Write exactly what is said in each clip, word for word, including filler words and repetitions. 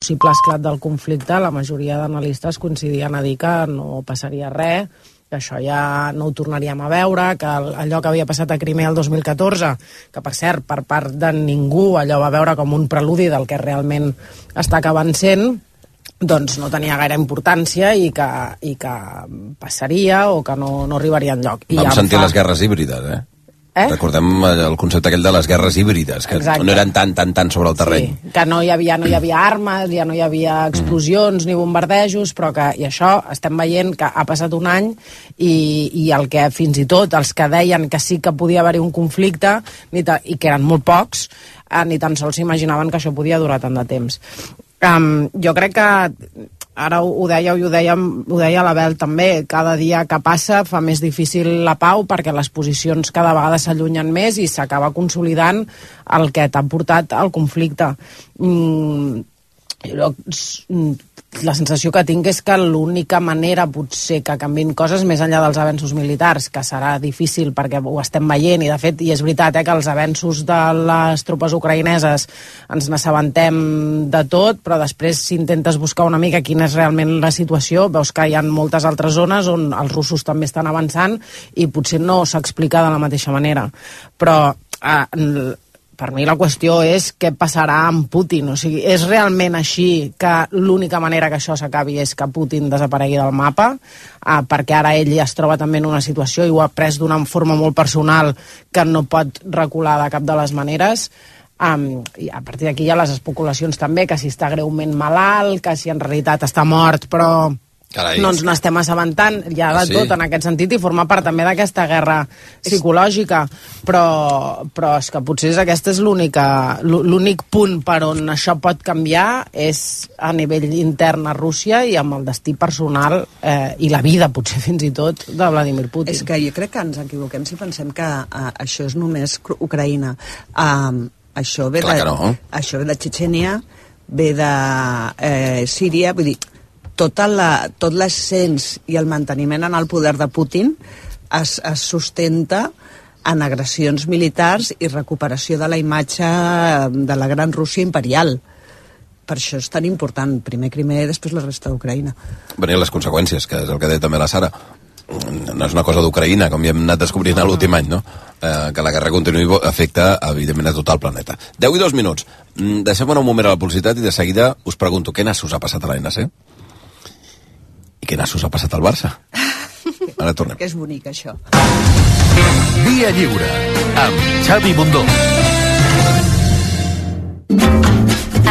possible esclat del conflicte, la majoria d'analistes coincidien a dir que no passaria res, que això ja no ho tornaríem a veure, que allò que havia passat a Crimea el dos mil catorze, que per cert, per part de ningú, allò va veure com un preludi del que realment està acabant sent, doncs no tenia gaire importància i que, i que passaria o que no, no arribaria enlloc. I Vam ja sentir fa... les guerres híbrides, eh? Eh? Recordem el concepte aquell de les guerres híbrides, que Exacte. no eren tan, tan, tan sobre el terreny. Sí, que no hi havia, no hi havia armes, ja no hi havia explosions mm. ni bombardejos, però que, i això estem veient que ha passat un any i, i el que fins i tot els que deien que sí que podia haver-hi un conflicte, ni ta, i que eren molt pocs, eh, ni tan sols s'imaginaven que això podia durar tant de temps. Um, jo crec que ara ho deia, ho deia, ho deia l'Abel també, cada dia que passa fa més difícil la pau perquè les posicions cada vegada s'allunyen més i s'acaba consolidant el que t'ha portat al conflicte. Mm, jo, la sensació que tinc és que l'única manera potser que canvin coses més enllà dels avenços militars, que serà difícil perquè ho estem veient i de fet, i és veritat eh, que els avenços de les tropes ucraïneses ens n'assabentem de tot, però després si intentes buscar una mica quina és realment la situació, veus que hi ha moltes altres zones on els russos també estan avançant i potser no s'explica de la mateixa manera, però eh, per mi la qüestió és què passarà amb Putin. O sigui, és realment així que l'única manera que això s'acabi és que Putin desaparegui del mapa, eh, perquè ara ell ja es troba també en una situació i ho ha pres d'una forma molt personal que no pot recular de cap de les maneres. Um, i a partir d'aquí hi ha les especulacions també, que si està greument malalt, que si en realitat està mort, però... Carai. No ens n'estem assabentant, ja de ah, sí? tot en aquest sentit, i forma part també d'aquesta guerra psicològica, però, però és que potser aquest és l'únic punt per on això pot canviar és a nivell intern a Rússia i amb el destí personal eh, i la vida, potser fins i tot, de Vladimir Putin. És que jo crec que ens equivoquem si pensem que uh, això és només Ucraïna. Uh, això ve Clar de, que no. això ve de Txetxènia, ve de eh, Síria, vull dir, Tota la, tot l'ascens i el manteniment en el poder de Putin es, es sustenta en agressions militars i recuperació de la imatge de la gran Rússia imperial. Per això és tan important, primer Crimea i després la resta d'Ucraïna. Venien les conseqüències, que és el que deia també la Sara. No és una cosa d'Ucraïna, com ja hem anat descobrint l'últim any, no? Eh, que la guerra continuï afecta, evidentment, a tot el planeta. deu i dos minuts. Deixem un moment a la publicitat i de seguida us pregunto què nassos ha passat a l'A N C? I què nassos ha passat al Barça? Ara tornem. Que és bonic, això. Via Lliure, amb Xavi Bundó.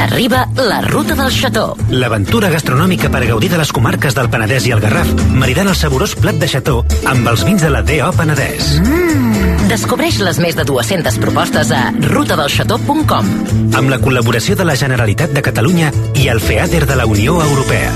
Arriba la Ruta del Xató. L'aventura gastronòmica per gaudir de les comarques del Penedès i el Garraf, maridant el saborós plat de xató amb els vins de la D O Penedès. Mm. Descobreix les més de dues-centes propostes a ruta del xató punt com. Amb la col·laboració de la Generalitat de Catalunya i el FEADER de la Unió Europea.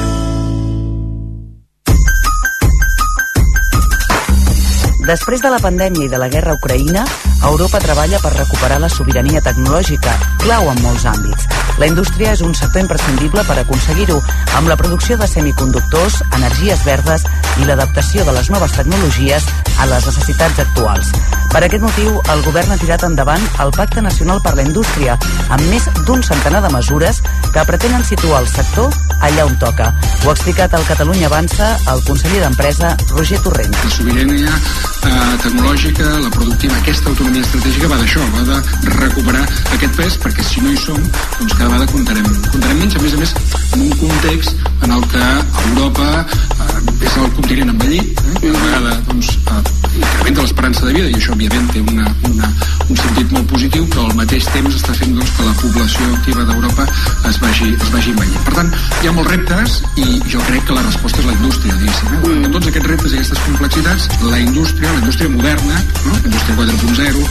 Després de la pandèmia i de la guerra a Ucraïna, Europa treballa per recuperar la sobirania tecnològica, clau en molts àmbits. La indústria és un sector imprescindible per aconseguir-ho, amb la producció de semiconductors, energies verdes i l'adaptació de les noves tecnologies a les necessitats actuals. Per aquest motiu, el govern ha tirat endavant el Pacte Nacional per la Indústria, amb més d'un centenar de mesures que pretenen situar el sector allà on toca. Ho ha explicat al Catalunya Avança el conseller d'Empresa, Roger Torrent. La sobirania eh, tecnològica, la productiva, aquesta autonomia estratègica va d'això, va de recuperar aquest pes, perquè si no hi som, doncs cada vegada comptarem, comptarem menys, a més a més, en un context en el que Europa eh, és el continent envellit, eh, i a la vegada doncs, eh, incrementa l'esperança de vida, i això òbviament té una, una, un sentit molt positiu, però al mateix temps està fent doncs, que la població activa d'Europa es vagi, es vagi envellint. Per tant, hi ha molts reptes i jo crec que la resposta és la indústria, diguéssim. Eh? Mm. Tots aquests reptes i aquestes complexitats, la indústria, la indústria moderna, no? La indústria quatre punt zero,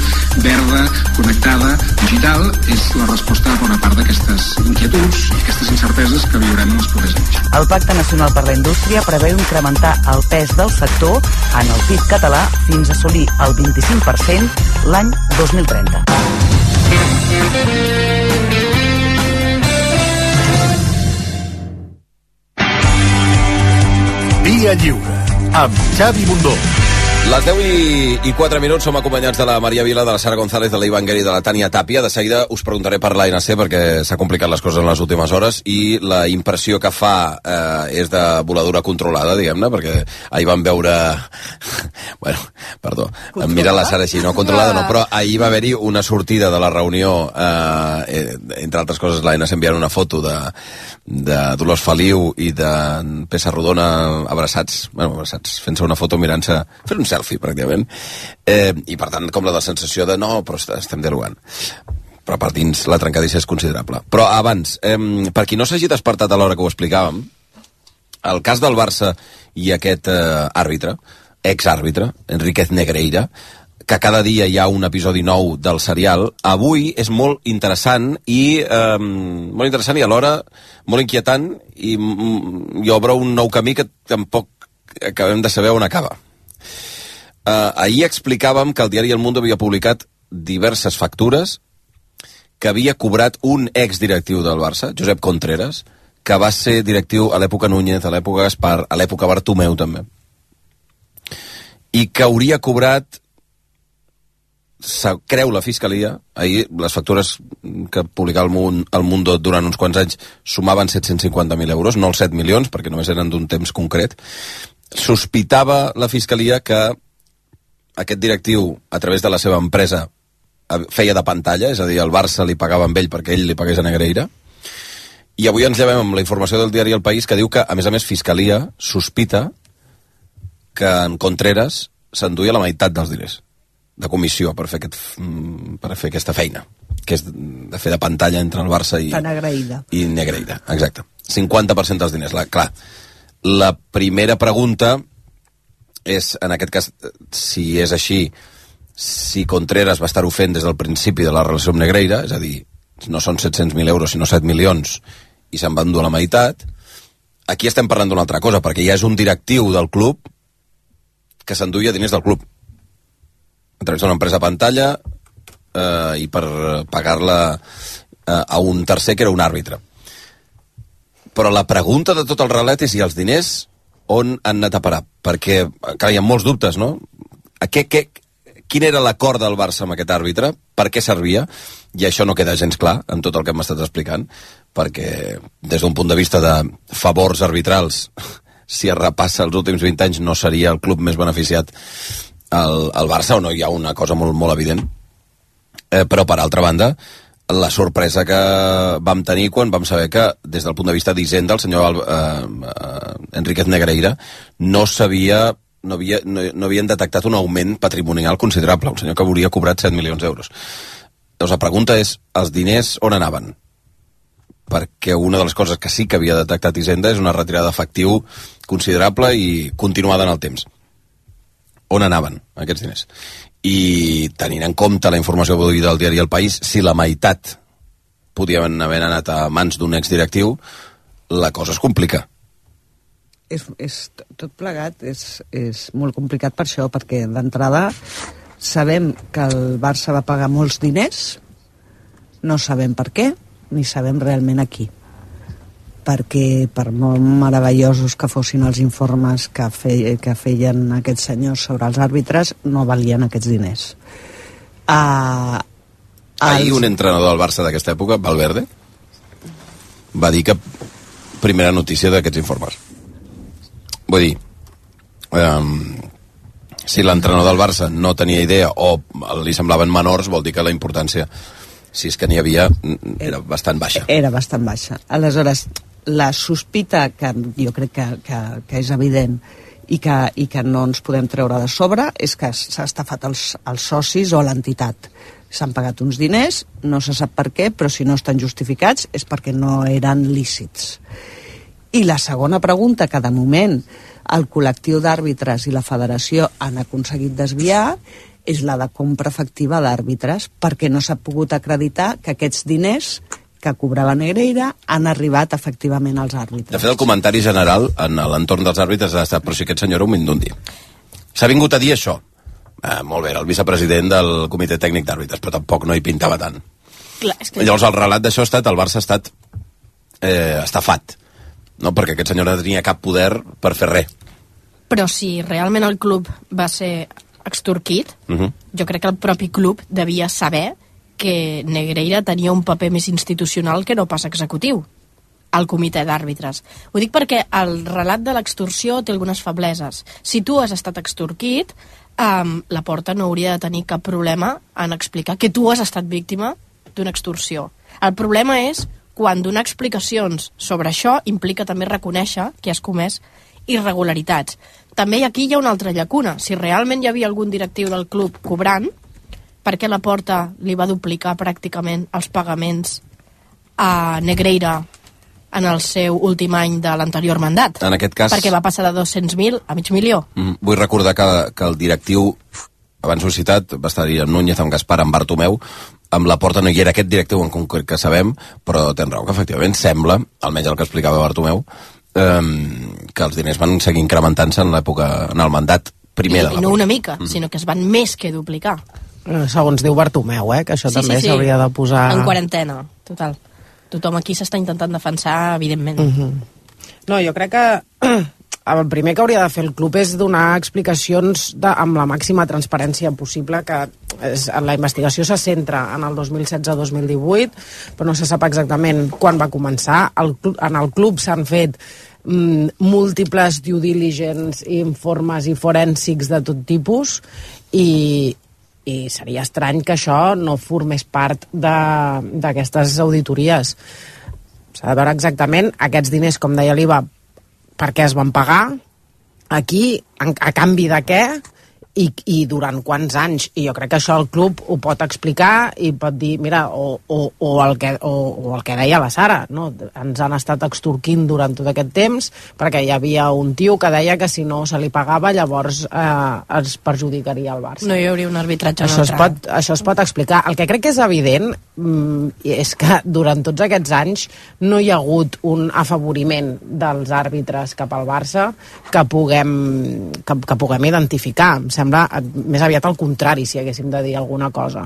verda, connectada, digital, és la resposta a bona part d'aquestes inquietuds i aquestes incerteses que viurem en els propers anys. El Pacte Nacional per la Indústria preveu incrementar el pes del sector en el P I B català fins a assolir el vint-i-cinc per cent l'any dos mil trenta. Via Lliure, amb Xavi Bundó. Les deu i quatre minuts, som acompanyats de la Maria Vila, de la Sara González, de l'Ivan Guerri i de la Tània Tàpia. De seguida us preguntaré per l'A N C, perquè s'ha complicat les coses en les últimes hores, i la impressió que fa eh, és de voladura controlada, diguem-ne, perquè ahir vam veure... bueno, perdó, em mira la Sara així, no controlada, no, però ahir va haver-hi una sortida de la reunió, eh, entre altres coses, l'A N C enviant una foto de, de Dolors Feliu i de Peça Rodona abraçats, bueno, abraçats, fent-se una foto mirant-se, fent un selfie, pràcticament, eh, i per tant, com la de sensació de no, però estem dialogant. Però per dins la trencadissa és considerable. Però abans, eh, per qui no s'hagi despertat a l'hora que ho explicàvem, el cas del Barça i aquest eh, àrbitre, ex-àrbitre, Enríquez Negreira, que cada dia hi ha un episodi nou del serial, avui és molt interessant i eh, molt interessant i alhora molt inquietant i, i obre un nou camí que tampoc acabem de saber on acaba. Uh, ahir explicàvem que el diari El Mundo havia publicat diverses factures que havia cobrat un exdirectiu del Barça, Josep Contreras, que va ser directiu a l'època Núñez, a l'època Gaspar, a l'època Bartomeu també, i que hauria cobrat, creu la Fiscalia, ahir les factures que publicava el, el Mundo durant uns quants anys sumaven set-cents cinquanta mil euros, no els set milions, perquè només eren d'un temps concret. Sospitava la Fiscalia que aquest directiu, a través de la seva empresa, feia de pantalla, és a dir, el Barça li pagava amb ell perquè ell li pagués a Negreira, i avui ens llevem amb la informació del diari El País que diu que, a més a més, Fiscalia sospita que en Contreras s'enduia la meitat dels diners de comissió per fer, aquest, per fer aquesta feina, que és de fer de pantalla entre el Barça i, i Negreira. Exacte. cinquanta per cent dels diners. La, clar, la primera pregunta és, en aquest cas, si és així, si Contreras va estar-ho fent des del principi de la relació amb Negreira, és a dir, no són set-cents mil euros, sinó set milions, i se'n va endur la meitat, aquí estem parlant d'una altra cosa, perquè ja és un directiu del club que s'enduia diners del club, a través d'una empresa pantalla, eh, i per pagar-la eh, a un tercer que era un àrbitre. Però la pregunta de tot el relat és si els diners on han anat a parar, perquè clar, hi ha molts dubtes, no? A què, què, quin era l'acord del Barça amb aquest àrbitre, per què servia, i això no queda gens clar en tot el que hem estat explicant, perquè des d'un punt de vista de favors arbitrals, si es repassa els últims vint anys no seria el club més beneficiat al, al Barça, o no hi ha una cosa molt, molt evident, eh, però per altra banda la sorpresa que vam tenir quan vam saber que, des del punt de vista d'Hisenda, el senyor eh, eh, Enríquez Negreira no sabia, no, havia, no, no havien detectat un augment patrimonial considerable, un senyor que hauria cobrat set milions d'euros. Llavors la pregunta és, els diners on anaven? Perquè una de les coses que sí que havia detectat Hisenda és una retirada d'efectiu considerable i continuada en el temps. On anaven aquests diners? I tenint en compte la informació avui del diari El País, si la meitat podien haver anat a mans d'un exdirectiu, la cosa es complica. És, és, tot plegat és, és molt complicat per això, perquè d'entrada sabem que el Barça va pagar molts diners, no sabem per què, ni sabem realment a qui. Perquè per molt meravellosos que fossin els informes que, fe, que feien aquests senyors sobre els àrbitres, no valien aquests diners. Uh, Ahir els... un entrenador del Barça d'aquesta època, Valverde, va dir que primera notícia d'aquests informes. Vull dir, um, si l'entrenador del Barça no tenia idea o li semblaven menors, vol dir que la importància, si és que n'hi havia, era bastant baixa. Era bastant baixa. Aleshores, la sospita, que jo crec que, que, que és evident i que, i que no ens podem treure de sobre, és que s'ha estafat els, els socis o l'entitat. S'han pagat uns diners, no se sap per què, però si no estan justificats és perquè no eren lícits. I la segona pregunta, que de moment el col·lectiu d'àrbitres i la federació han aconseguit desviar, és la de compra efectiva d'àrbitres, perquè no s'ha pogut acreditar que aquests diners que cobrava Negreira han arribat efectivament als àrbitres. De fet, el comentari general en l'entorn dels àrbitres ha estat, però si aquest senyor era un mindundi. S'ha vingut a dir això. Eh, molt bé, era el vicepresident del comitè tècnic d'àrbitres, però tampoc no hi pintava tant. Clar, és que... Llavors el relat d'això ha estat, el Barça ha estat eh, estafat, no? Perquè aquest senyor no tenia cap poder per fer res. Però si realment el club va ser extorquit, uh-huh. jo crec que el propi club devia saber que Negreira tenia un paper més institucional que no pas executiu al comitè d'àrbitres. Ho dic perquè el relat de l'extorsió té algunes febleses. Si tu has estat extorquit, um, la Porta no hauria de tenir cap problema en explicar que tu has estat víctima d'una extorsió. El problema és quan donar explicacions sobre això implica també reconèixer que has comès irregularitats. També aquí hi ha una altra llacuna. Si realment hi havia algun directiu del club cobrant, per què la Porta li va duplicar pràcticament els pagaments a Negreira en el seu últim any de l'anterior mandat? En aquest cas... Perquè va passar de dos-cents mil a mig milió. Mm, vull recordar que, que el directiu, abans ho he citat, va estar-hi amb Núñez, amb Gaspar, amb Bartomeu, amb la Porta no hi era aquest directiu en concret que sabem, però tens raó que efectivament sembla, almenys el que explicava Bartomeu, eh, que els diners van seguir incrementant-se en l'època, en el mandat primer I, de la I no Porta. una mica, mm. sinó que es van més que duplicar. Segons diu Bartomeu, eh, que això Sí, també sí, sí. s'hauria de posar... En quarantena, total. Tothom aquí s'està intentant defensar, evidentment. Mm-hmm. No, jo crec que el primer que hauria de fer el club és donar explicacions de, amb la màxima transparència possible, que és, la investigació se centra en el dos mil setze dos mil divuit, però no se sap exactament quan va començar. El, en el club s'han fet mm, múltiples due diligence, informes i forènsics de tot tipus, i, i seria estrany que això no formés part d'aquestes auditories. S'ha de veure exactament aquests diners, com deia l'Iva, per què es van pagar, aquí, a canvi de què, i, i durant quants anys. I jo crec que això el club ho pot explicar i pot dir, mira, o, o, o, el, que, o, o el que deia la Sara, no? Ens han estat extorquint durant tot aquest temps perquè hi havia un tio que deia que si no se li pagava llavors eh, es perjudicaria el Barça. No hi hauria un arbitratge això es, neutral. pot, això es pot explicar. El que crec que és evident mm, és que durant tots aquests anys no hi ha hagut un afavoriment dels àrbitres cap al Barça que puguem, que, que puguem identificar. Em sembla més aviat al contrari, si haguéssim de dir alguna cosa.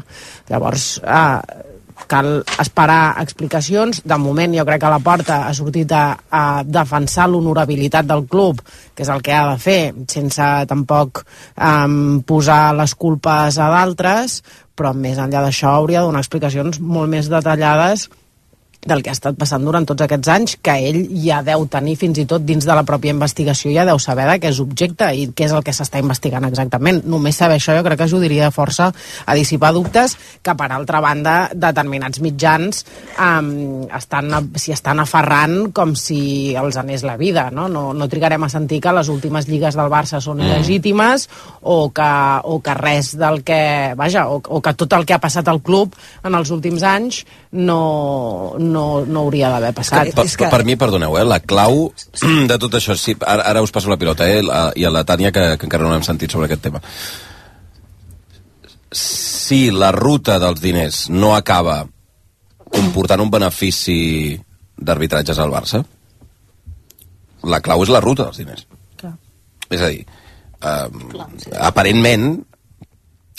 Llavors, eh, cal esperar explicacions. De moment jo crec que la Porta ha sortit a, a defensar l'honorabilitat del club, que és el que ha de fer, sense tampoc eh, posar les culpes a d'altres, però més enllà d'això hauria de donar explicacions molt més detallades del que ha estat passant durant tots aquests anys, que ell ja deu tenir fins i tot dins de la pròpia investigació, ja deu saber de què és objecte i què és el que s'està investigant exactament. Només saber això jo crec que ajudaria força a dissipar dubtes que, per altra banda, determinats mitjans um, estan, s'hi estan aferrant com si els anés la vida, no? No, no trigarem a sentir que les últimes lligues del Barça són il·legítimes o que, o que res del que... Vaja, o, o que tot el que ha passat al club en els últims anys no... no, no hauria d'haver passat. Per, per, per mi, perdoneu, eh, la clau de tot això, sí, ara, ara us passo la pilota, eh, la, i a la Tània, que, que encara no hem sentit sobre aquest tema. Si la ruta dels diners no acaba comportant un benefici d'arbitratges al Barça, la clau és la ruta dels diners. Clar. És a dir, eh, aparentment,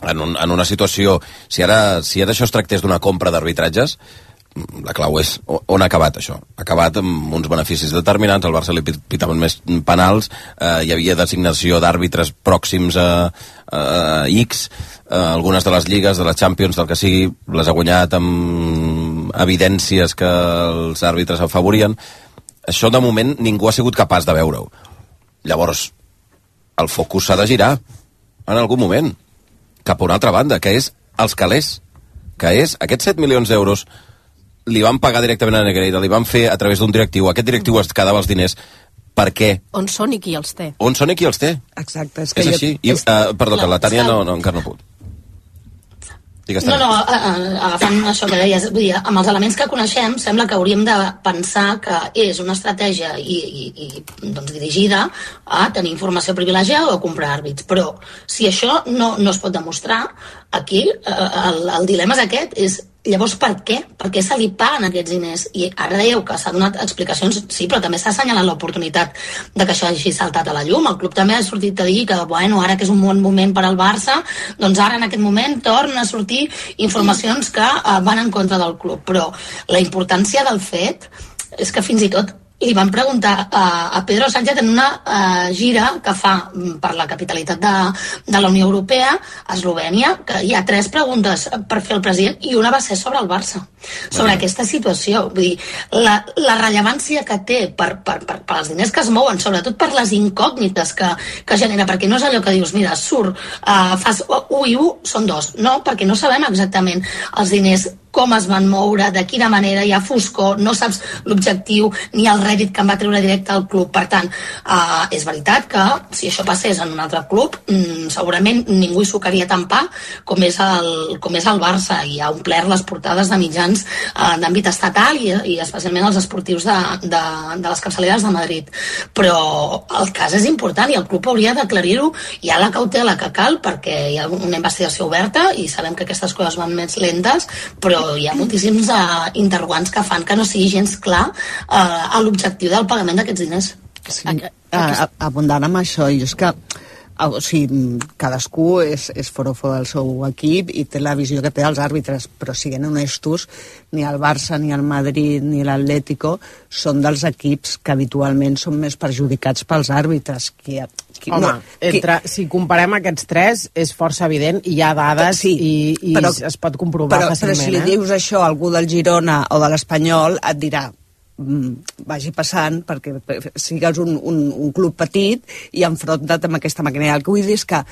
en, un, en una situació, si ara, si ara això es tractés d'una compra d'arbitratges, la clau és on ha acabat això. Ha acabat amb uns beneficis determinants, al Barça li pitaven més penals, eh, hi havia designació d'àrbitres pròxims a, a X, eh, algunes de les lligues, de les Champions, del que sigui, les ha guanyat amb evidències que els àrbitres afavorien. Això, de moment, ningú ha sigut capaç de veure-ho. Llavors, el focus s'ha de girar en algun moment cap a una altra banda, que és els calés, que és aquests set milions d'euros li van pagar directament a Negreira, li van fer a través d'un directiu, aquest directiu es quedava els diners, per què? On són i qui els té? On són i qui els té? Exacte. És, que és jo... així. I, uh, perdó, que la Tània no, no, encara no pot. Digues, no, no, agafant això que deies, vull dir, amb els elements que coneixem, sembla que hauríem de pensar que és una estratègia i, i, i doncs, dirigida a tenir informació privilegiada o a comprar àrbits. Però si això no, no es pot demostrar, aquí el, el dilema és aquest, és llavors per què? Per què se li paguen aquests diners? I ara dèieu que s'ha donat explicacions, sí, però també s'ha assenyalat l'oportunitat de que això hagi saltat a la llum. El club també ha sortit a dir que, bueno, ara que és un bon moment per al Barça, doncs ara en aquest moment torna a sortir informacions que uh, van en contra del club. Però la importància del fet és que fins i tot li van preguntar a, a Pedro Sánchez en una uh, gira que fa per la capitalitat de, de la Unió Europea, a Eslovènia, que hi ha tres preguntes per fer el president i una va ser sobre el Barça, sobre bueno. aquesta situació. Vull dir, la, la rellevància que té per, per, per, per els diners que es mouen, sobretot per les incògnites que, que genera, perquè no és allò que dius, mira, surt, uh, fas u i u, són dos. No, perquè no sabem exactament els diners, com es van moure, de quina manera, hi ha foscor, no saps l'objectiu ni el rèdit que en va treure directe al club. Per tant, uh, és veritat que si això passés en un altre club, mm, segurament ningú hi sucaria tant pa com és el, com és el Barça, i ha omplert les portades de mitjans uh, d'àmbit estatal i, i especialment els esportius de, de, de les capçaleres de Madrid. Però el cas és important i el club hauria d'aclarir-ho. Hi ha la cautela que cal perquè hi ha una investigació oberta i sabem que aquestes coses van més lentes, però hi ha moltíssims uh, interrogants que fan que no sigui gens clar uh, a l'objectiu del pagament d'aquests diners. Sí, uh, abundant amb això, i és que uh, o sigui, cadascú és, és forofo del seu equip i té la visió que té els àrbitres, però siguent honestos, ni el Barça, ni el Madrid, ni l'Atlético són dels equips que habitualment són més perjudicats pels àrbitres. Qui, qui, Home, no, entre, qui... si comparem aquests tres, és força evident, hi ha dades sí, i, i però, es pot comprovar però, fàcilment. Però si li eh? dius això a algú del Girona o de l'Espanyol, et dirà vagi passant perquè sigues un, un, un club petit i enfronta't amb aquesta màquina. El que vull dir és que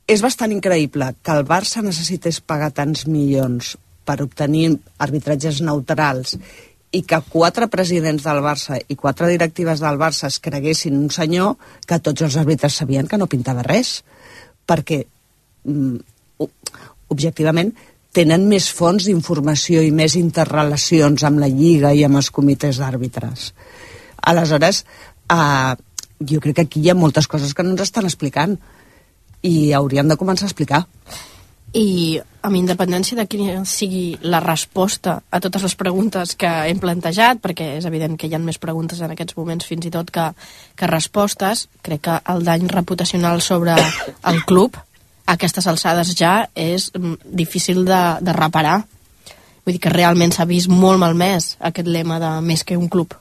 és bastant increïble que el Barça necessités pagar tants milions per obtenir arbitratges neutrals i que quatre presidents del Barça i quatre directives del Barça es creguessin un senyor que tots els àrbitres sabien que no pintava res, perquè mm, objectivament tenen més fonts d'informació i més interrelacions amb la Lliga i amb els comitès d'àrbitres. Aleshores, eh, jo crec que aquí hi ha moltes coses que no ens estan explicant i hauríem de començar a explicar. I amb independència de quina sigui la resposta a totes les preguntes que hem plantejat, perquè és evident que hi ha més preguntes en aquests moments fins i tot que, que respostes, crec que el dany reputacional sobre el club a aquestes alçades ja és difícil de, de reparar. Vull dir que realment s'ha vist molt malmès aquest lema de més que un club.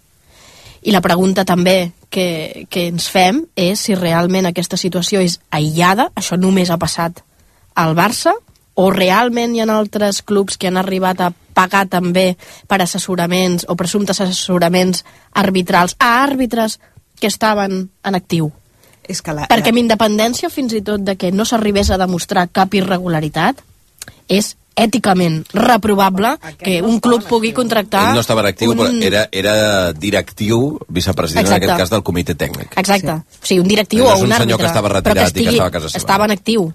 I la pregunta també que, que ens fem és si realment aquesta situació és aïllada, això només ha passat al Barça, o realment hi ha altres clubs que han arribat a pagar també per assessoraments o presumptes assessoraments arbitrals a àrbitres que estaven en actiu. És que la, perquè amb la... independència fins i tot de que no s'arribés a demostrar cap irregularitat, és èticament reprovable que un club pugui contractar... Ell no estava en actiu, un... però era, era directiu, vicepresident, Exacte. en aquest cas, del comitè tècnic. Exacte. Sí. O sigui, un directiu no o un àrbitre. No és un senyor que estava retirat que estigui, i que estava a casa seva. Estava en actiu.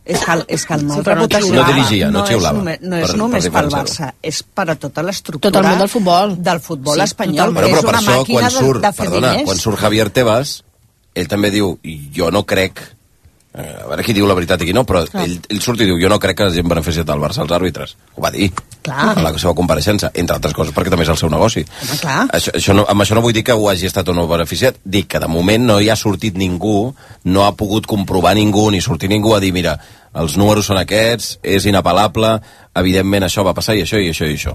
És que, és que el mal sí, reputació no dirigia, no, no xiulava. És només, no és per, només pel Barça, és per a tota l'estructura tot el món del futbol, del futbol sí, espanyol, però, que però és una això, màquina surt, de, de fer perdona, diners. Quan surt Javier Tebas, ell també diu, jo no crec, a veure qui diu la veritat i qui no, però ell, ell surt i diu, jo no crec que hagin beneficiat al Barça els àrbitres. Ho va dir, clar. en la seva compareixença, entre altres coses, perquè també és el seu negoci. Home, clar. Això, això no, amb això no vull dir que ho hagi estat o no beneficiat, dic que de moment no hi ha sortit ningú, no ha pogut comprovar ningú, ni sortir ningú a dir, mira, els números són aquests, és inapel·lable, evidentment això va passar i això i això i això.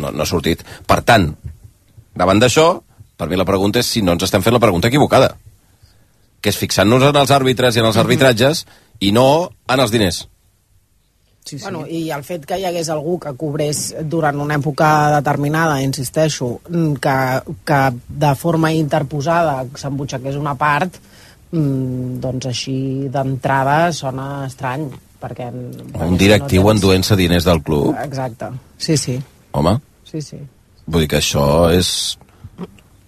No, no ha sortit. Per tant, davant d'això, per mi la pregunta és si no ens estem fent la pregunta equivocada, que és fixant-nos en els àrbitres i en els arbitratges i no en els diners. Sí, sí. Bueno, i el fet que hi hagués algú que cobrés durant una època determinada, insisteixo, que, que de forma interposada s'embutxaqués una part, doncs així d'entrada sona estrany, perquè... Un directiu no tens... enduent-se diners del club. Exacte, sí, sí. Home? Sí, sí. Vull dir que això és...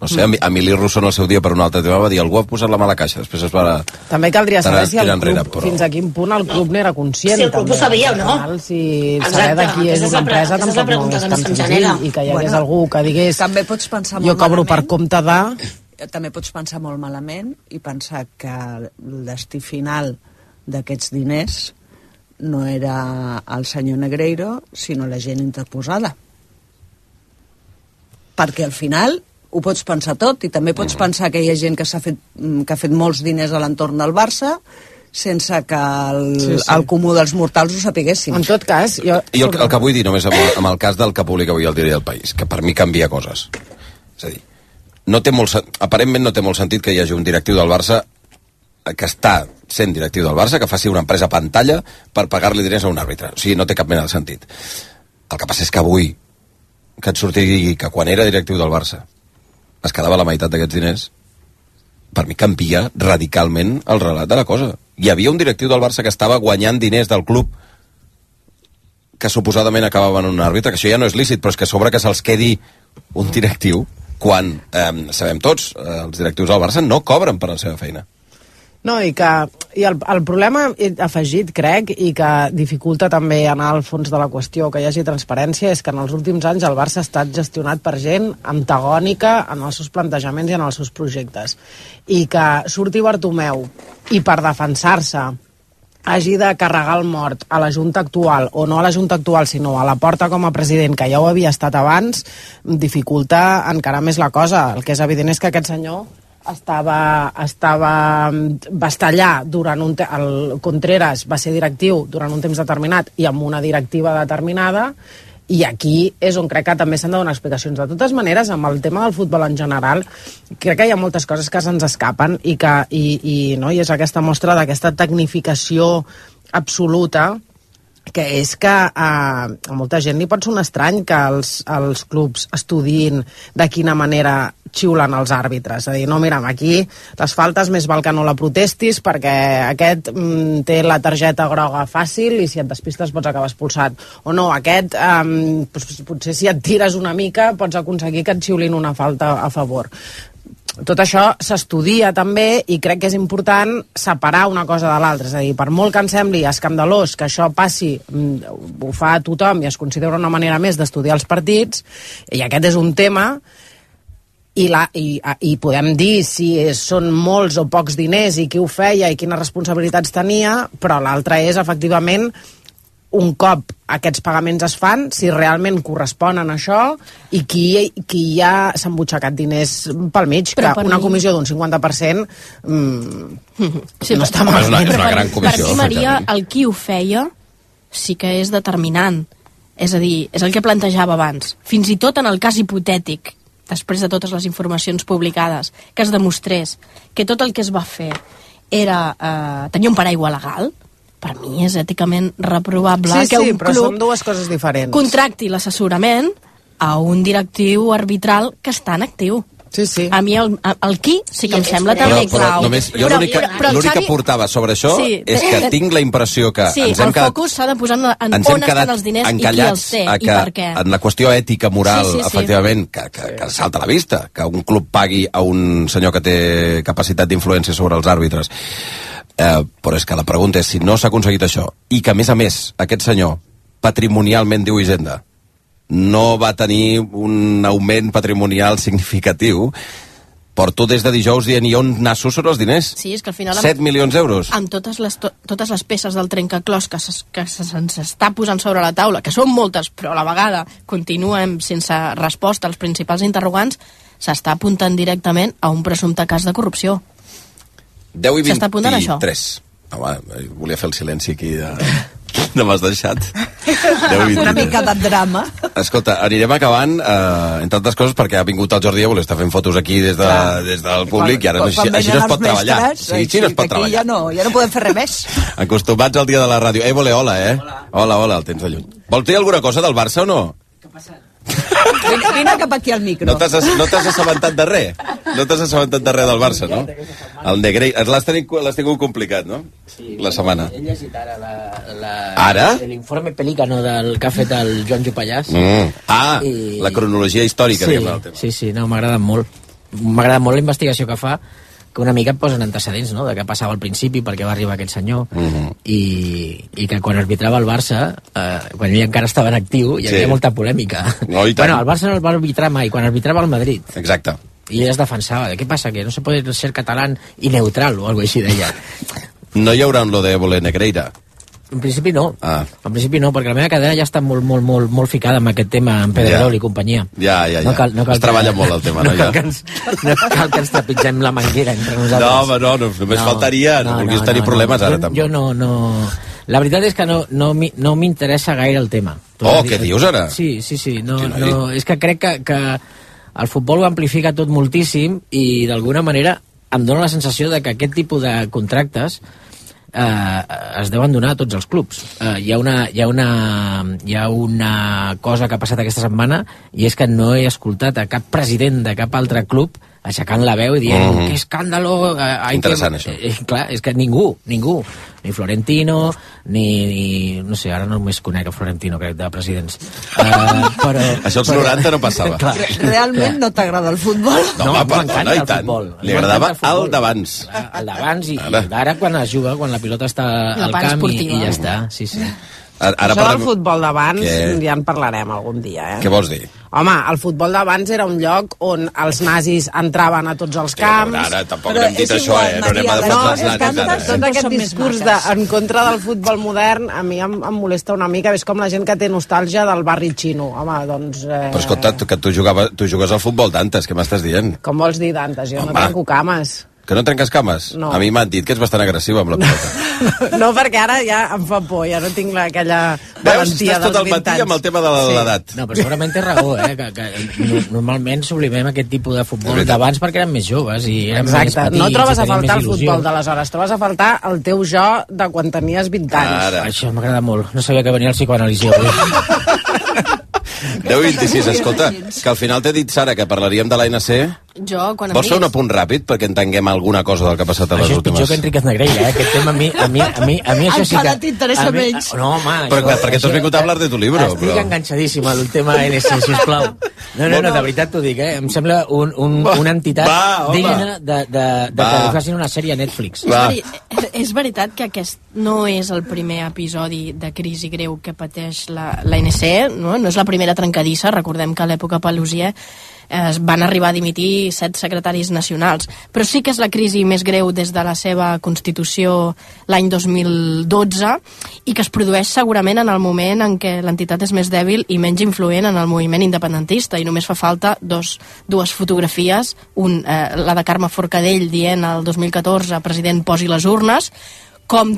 No sé, Emili Rousseau en el seu dia per un altre tema va dir algú ha posat la mala caixa, després es va... També caldria saber si el club, enrere, però... fins a quin punt el club n'era conscient. Si el club també, ho sabia o no. Final, si saber de qui és una empresa tampoc no és tan senzill, i que hi hagués bueno, algú que digués també pots pensar molt jo cobro malament, per compte de... També pots pensar molt malament i pensar que el destí final d'aquests diners no era el senyor Negreiro, sinó la gent interposada. Perquè al final ho pots pensar tot, i també pots pensar que hi ha gent que s'ha fet, que ha fet molts diners a l'entorn del Barça sense que el, sí, sí. el comú dels mortals ho sapiguessin. En tot cas... Jo, jo el, el que vull dir només amb el, amb el cas del que publica avui el Diari del País, que per mi canvia coses. És a dir, no té molt, aparentment no té molt sentit que hi hagi un directiu del Barça que està sent directiu del Barça, que faci una empresa pantalla per pagar-li diners a un àrbitre. O sigui, no té cap mena de sentit. El que passa és que avui, que et surti i digui que quan era directiu del Barça es quedava la meitat d'aquests diners, per mi canvia radicalment el relat de la cosa. Hi havia un directiu del Barça que estava guanyant diners del club que suposadament acabaven un àrbitre, que això ja no és lícit, però és que a sobre que se'ls quedi un directiu quan, eh, sabem tots, eh, els directius del Barça no cobren per la seva feina. No, i que i el, el problema afegit, crec, i que dificulta també anar al fons de la qüestió, que hi hagi transparència, és que en els últims anys el Barça ha estat gestionat per gent antagònica en els seus plantejaments i en els seus projectes. I que surti Bartomeu i per defensar-se hagi de carregar el mort a la Junta actual, o no a la Junta actual, sinó a la Porta com a president, que ja ho havia estat abans, dificulta encara més la cosa. El que és evident és que aquest senyor estava, estava va estar allà durant un te el Contreras va ser directiu durant un temps determinat i amb una directiva determinada, i aquí és on crec que també s'han de donar explicacions. De totes maneres, amb el tema del futbol en general, crec que hi ha moltes coses que se'ns escapen i que i, i, no? I és aquesta mostra d'aquesta tecnificació absoluta, que és que eh, a molta gent li pot ser un estrany que els, els clubs estudiïn de quina manera xiulen els àrbitres. És a dir, no, mira, aquí les faltes més val que no la protestis perquè aquest mm, té la targeta groga fàcil i si et despistes pots acabar expulsat. O no, aquest eh, potser si et tires una mica pots aconseguir que et xiulin una falta a favor. Tot això s'estudia també i crec que és important separar una cosa de l'altra. És a dir, per molt que em sembli escandalós que això passi, ho fa tothom i es considera una manera més d'estudiar els partits, i aquest és un tema, i, la, i, i podem dir si són molts o pocs diners i qui ho feia i quines responsabilitats tenia, però l'altre és efectivament un cop aquests pagaments es fan, si realment corresponen a això i qui, qui ja s'ha embutxacat diners pel mig, però que una mi... comissió d'un cinquanta per cent mm, sí, no està mal. És una, és una gran comissió. Per mi, Maria, el qui ho feia sí que és determinant. És a dir, és el que plantejava abans. Fins i tot en el cas hipotètic, després de totes les informacions publicades, que es demostrés que tot el que es va fer era eh, tenir un paraigua legal, per mi és èticament reprovable sí, que sí, un però club són dues coses diferents. Contracti l'assessorament a un directiu arbitral que està en actiu. Sí, sí. A mi el, el qui sí que em sembla però, també però, clau. Només, jo l'únic que, Xavi... que portava sobre això sí, és que tinc la impressió que sí, ens hem el quedat... focus s'ha de posar en, en on estan els diners i qui els té que, i per què. En la qüestió ètica, moral, sí, sí, sí. efectivament, que, que, que salta a la vista, que un club pagui a un senyor que té capacitat d'influència sobre els àrbitres. Eh, però és que la pregunta és si no s'ha aconseguit això i que a més a més aquest senyor patrimonialment, diu Hisenda, no va tenir un augment patrimonial significatiu, porto des de dijous dient i on nasso són els diners? Sí, és que al final set milions d'euros. Amb totes les, to, totes les peces del trencaclòs que, ses, que se'ns està posant sobre la taula, que són moltes, però a la vegada continuem sense resposta als principals interrogants, s'està apuntant directament a un presumpte cas de corrupció. deu i vint-i-tres. Home, volia fer el silenci aquí de... no m'has deixat. Una mica de drama. Escolta, anirem acabant, eh, entre altres coses, perquè ha vingut el Jordi a voler estar fent fotos aquí des, de, des del públic i ara no, així, així no es pot mestres, treballar. Sí, així no es pot treballar. Ja no, ja no podem fer res més. Acostumats al dia de la ràdio. Eh, vole, hola, eh? Hola. Hola, hola, el tens de lluny. Vols dir alguna cosa del Barça o no? Què ha passat? Vine cap aquí al micro. No t'has no assabentat de res? No t'has assabentat de res del Barça, no? El Negreira. L'has tingut complicat, no? Sí, la setmana. He llegit ara la, la, ara? l'informe Pelícano del que ha fet el Joan Jopallàs. Mm. Ah, i... la cronologia històrica. Sí, tema. sí, sí, no, m'ha agradat molt. M'ha agradat molt la investigació que fa, que una mica et posen antecedents, no?, de què passava al principi, per què va arribar aquest senyor, mm -hmm. i, i que quan arbitrava el Barça, eh, quan ell encara estava en actiu, hi havia sí. molta polèmica. No, bueno, el Barça no el va arbitrar mai, quan arbitrava el Madrid. Exacte. I ell es defensava, de què passa, que no se pot ser català i neutral, o alguna cosa així deia. No hi haurà lo de voler Negreira? En principi no, ah. en principi no, perquè la meva cadena ja està molt, molt, molt, molt ficada amb aquest tema, en Pedrerol ja. i companyia. Ja, ja, ja. No cal, no cal es treballa que... molt el tema, no? No cal, que ens, no cal que ens trepitgem la manguera entre nosaltres. No, home, no, no només no, faltaria, no, no vulguis no, tenir no, problemes no, ara, jo, tampoc. Jo no, no... La veritat és que no, no, no m'interessa gaire el tema. Oh, què dius ara? Sí, sí, sí, no, no, és que crec que, que el futbol ho amplifica tot moltíssim i d'alguna manera em dóna la sensació de que aquest tipus de contractes eh, es deuen donar a tots els clubs. Eh, hi, ha una, hi, ha una, hi ha una cosa que ha passat aquesta setmana i és que no he escoltat a cap president de cap altre club aixecant la veu i dient mm-hmm. que escàndalo... Eh, Interessant, que... això. Eh, clar, és que ningú, ningú, ni Florentino, ni, ni... no sé, ara no només conec a Florentino, crec, de presidents. Uh, però, això als però... noranta no passava. Clar, Realment no t'agrada el futbol? No, no perdona, i tant. Li agradava el d'abans. El d'abans i, i d'ara quan es juga, quan la pilota està La al camp i, i ja està. Sí, sí. Ara, ara Això parlem... del futbol d'abans que... ja en parlarem algun dia, eh? Què vols dir? Home, el futbol d'abans era un lloc on els nazis entraven a tots els camps... Ara tampoc però hem dit això, igual, eh? No anem a defensar no, els nazis. No, és que tot aquest discurs de, en contra del futbol modern a mi em, em molesta una mica. És com la gent que té nostàlgia del barri xino. Home, doncs... Eh... Però escolta, tu, que tu, jugava, tu jugues al futbol d'antes, què m'estàs dient? Com vols dir d'antes? Jo Home. no trenco cames. Que no trenques cames? No. A mi m'han dit que ets bastant agressiu amb la pilota. No, perquè ara ja em fa por, ja no tinc la, aquella valentia Veus, estàs tot el dels vint matí anys. amb el tema de l'edat. Sí. No, però segurament té raó, eh? Que, que normalment sublimem aquest tipus de futbol d'abans perquè érem més joves i érem Exacte. més petits. No trobes a faltar el il·lusió. futbol d'aleshores, trobes a faltar el teu jo de quan tenies vint anys. Ara. Això m'agrada molt. No sabia que venia el psicoanalisi avui. deu vint-i-sis, escolta, que al final t'he dit, Sara, que parlaríem de l'A N C. Jo, quan em Vols fer un diguis... apunt ràpid perquè entenguem alguna cosa del que ha passat a les Això és últimes... pitjor que Enriquez Negreira, eh? Aquest tema a mi, a mi, a mi, a mi això sí que... Encara t'interessa a mi- menys. No, home... Però jo- clar, perquè tu has això- vingut a hablar de tu libro, Estic però- enganxadíssim al tema A N C, sisplau. No, no, no, de veritat t'ho dic, eh? Em sembla un, un, una entitat Va, home. digna de, de, de Va. que facin una sèrie a Netflix. Va. És, veri és veritat que aquest no és el primer episodi de crisi greu que pateix la, la A N C, no? No és la primera trencadissa. Recordem que a l'època Paluzie es van arribar a dimitir set secretaris nacionals, però sí que és la crisi més greu des de la seva constitució l'any dos mil dotze i que es produeix segurament en el moment en què l'entitat és més dèbil i menys influent en el moviment independentista, i només fa falta dos, dues fotografies, un, eh, la de Carme Forcadell dient el dos mil catorze president posi les urnes, com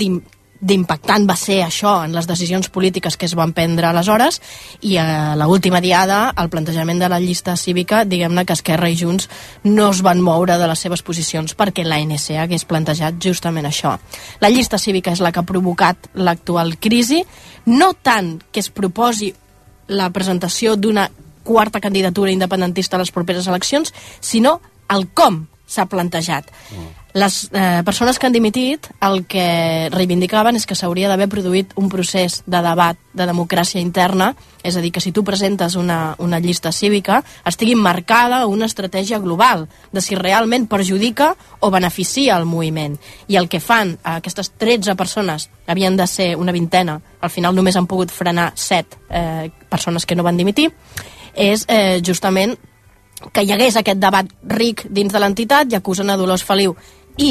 d'impactant va ser això en les decisions polítiques que es van prendre aleshores, i a l'última diada el plantejament de la llista cívica, diguem-ne que Esquerra i Junts no es van moure de les seves posicions perquè l'A N C hagués plantejat justament això. La llista cívica és la que ha provocat l'actual crisi, no tant que es proposi la presentació d'una quarta candidatura independentista a les properes eleccions, sinó el com s'ha plantejat. Mm. Les eh, persones que han dimitit el que reivindicaven és que s'hauria d'haver produït un procés de debat de democràcia interna, és a dir, que si tu presentes una, una llista cívica estigui marcada una estratègia global de si realment perjudica o beneficia el moviment. I el que fan aquestes tretze persones, havien de ser una vintena, al final només han pogut frenar set eh, persones que no van dimitir, és eh, justament que hi hagués aquest debat ric dins de l'entitat, i acusen a Dolors Feliu. I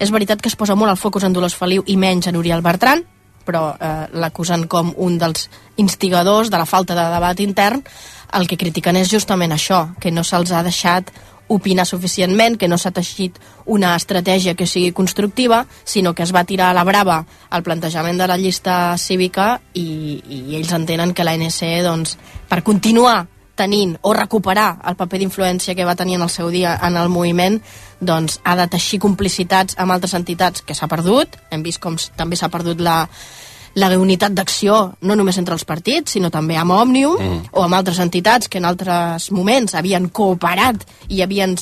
és veritat que es posa molt el focus en Dolors Feliu i menys en Oriol Bertran, però eh, l'acusen com un dels instigadors de la falta de debat intern. El que critiquen és justament això, que no se'ls ha deixat opinar suficientment, que no s'ha teixit una estratègia que sigui constructiva, sinó que es va tirar a la brava el plantejament de la llista cívica, i, i ells entenen que l'A N C, doncs, per continuar tenint o recuperar el paper d'influència que va tenir en el seu dia en el moviment, doncs ha de teixir complicitats amb altres entitats que s'ha perdut. Hem vist com també s'ha perdut la, la unitat d'acció, no només entre els partits, sinó també amb Òmnium, mm. o amb altres entitats que en altres moments havien cooperat i havien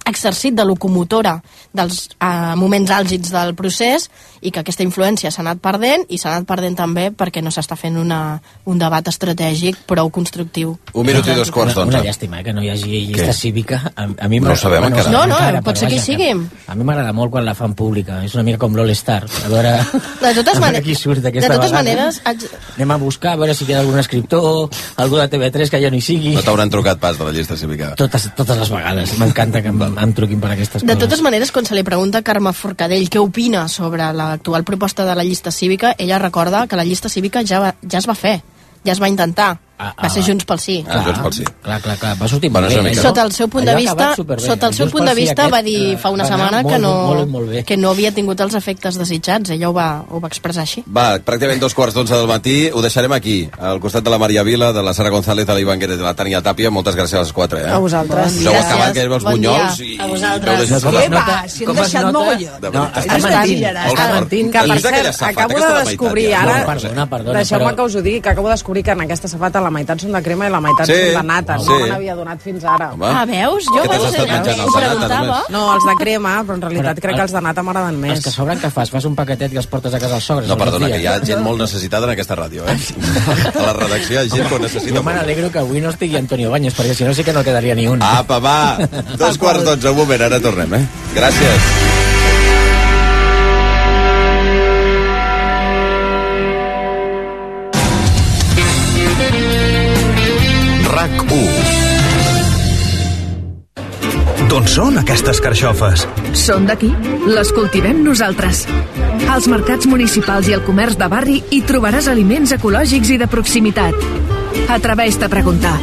exercit de locomotora dels eh, moments àlgids del procés, i que aquesta influència s'ha anat perdent, i s'ha anat perdent també perquè no s'està fent una, un debat estratègic prou constructiu. Un minut i dos quarts d'onze. Una llàstima, eh, que no hi hagi llista Què? cívica. A, a mi No ho sabem bueno, encara. No, no, encara, pot però ser que hi vaja, sigui. A mi m'agrada molt quan la fan pública. És una mica com l'All-Star. A veure, De totes, a mane veure qui surt de d'aquesta totes vegada. maneres, haig... Anem a buscar, a veure si queda algun escriptor, algú de T V tres que ja no hi sigui. No t'hauran trucat pas de la llista cívica. Totes, totes les vegades. M'encanta que em, em truquin per aquestes De coses. totes maneres, quan se li pregunta a Carme Forcadell què opina sobre l'actual proposta de la llista cívica, ella recorda que la llista cívica ja, va, ja es va fer, ja es va intentar. Ah, va ser Junts pel Sí. Ah, Junts pel Sí. Clar, clar, clar, va sortir Bueno, molt bé. mica, Sota el seu punt de Allò ha vista, acabat superbé. sota el seu Junts punt de pel Sí vista aquest, va dir fa una va anar setmana molt, que no, molt, molt bé. que no havia tingut els efectes desitjats. Ella ho va, ho va expressar així. Va, pràcticament dos quarts d'onze del matí. Ho deixarem aquí, al costat de la Maria Vila, de la Sara González, de l'Ivan Guerrero, de la Tània Tàpia. Moltes gràcies a les quatre, eh? A vosaltres. Us heu acabat que els Bon bunyols dia. i... A vosaltres. i Com es Eva, nota- si hem com es deixat nota- mogolló. De No, veritat. està Està mentint. mentint. Molt Està fort. mentint. Que, per Elisa, aquella cert, safata, acabo aquesta de la meitat, descobrir ja. ara... No, perdona, perdona, Deixeu-me però- que us ho digui, que acabo de descobrir que en aquesta safata la meitat són de crema i la meitat Sí, són de nata. sí. No me n'havia donat fins ara. Home. Ah, veus? Jo Què t'has veus, estat eh, menjant, ho els de nata, preguntava. només? No, els de crema, però en realitat Però crec que els de nata m'agraden Els més. que sobren que fas? Fas un paquetet i els portes a casa als sogres? No, els perdona, dies? que hi ha gent molt necessitada en aquesta ràdio, eh? A la redacció hi ha gent que ho necessita Jo me molt. n'alegro que avui no estigui Antonio Baños, perquè si no sí que no quedaria ni un. Apa, va! Dos quarts d'onze, un moment, ara tornem, eh? Gràcies. RAC u. D'on són aquestes carxofes? Són d'aquí. Les cultivem nosaltres. Als mercats municipals i al comerç de barri hi trobaràs aliments ecològics i de proximitat. Atreveix-te a preguntar.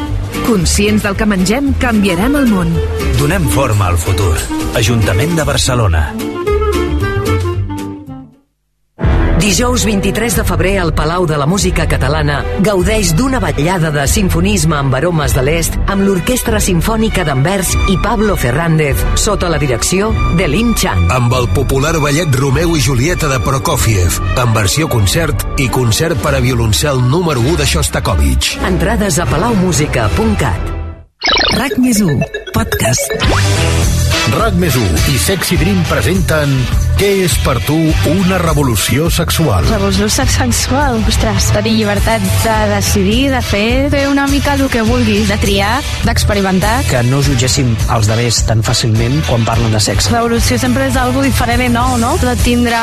Conscients del que mengem, canviarem el món. Donem forma al futur. Ajuntament de Barcelona. Dijous vint-i-tres de febrer al Palau de la Música Catalana gaudeix d'una vetllada de sinfonisme amb aromes de l'est amb l'Orquestra Simfònica d'Anvers i Pablo Fernández sota la direcció de Lim Chan. Amb el popular ballet Romeu i Julieta de Prokofiev, en versió concert i concert per a violoncel número u de Shostakovich. Entrades a palaumusica punt cat. RAC més u, podcast. RAC més u i Sexy Dream presenten Què és per tu una revolució sexual? Revolució sexual? Ostres, tenir llibertat de decidir, de fer, fer una mica el que vulguis, de triar, d'experimentar. Que no jutgéssim els demés tan fàcilment quan parlen de sexe. Revolució sempre és algo diferent i nou, no? De tindre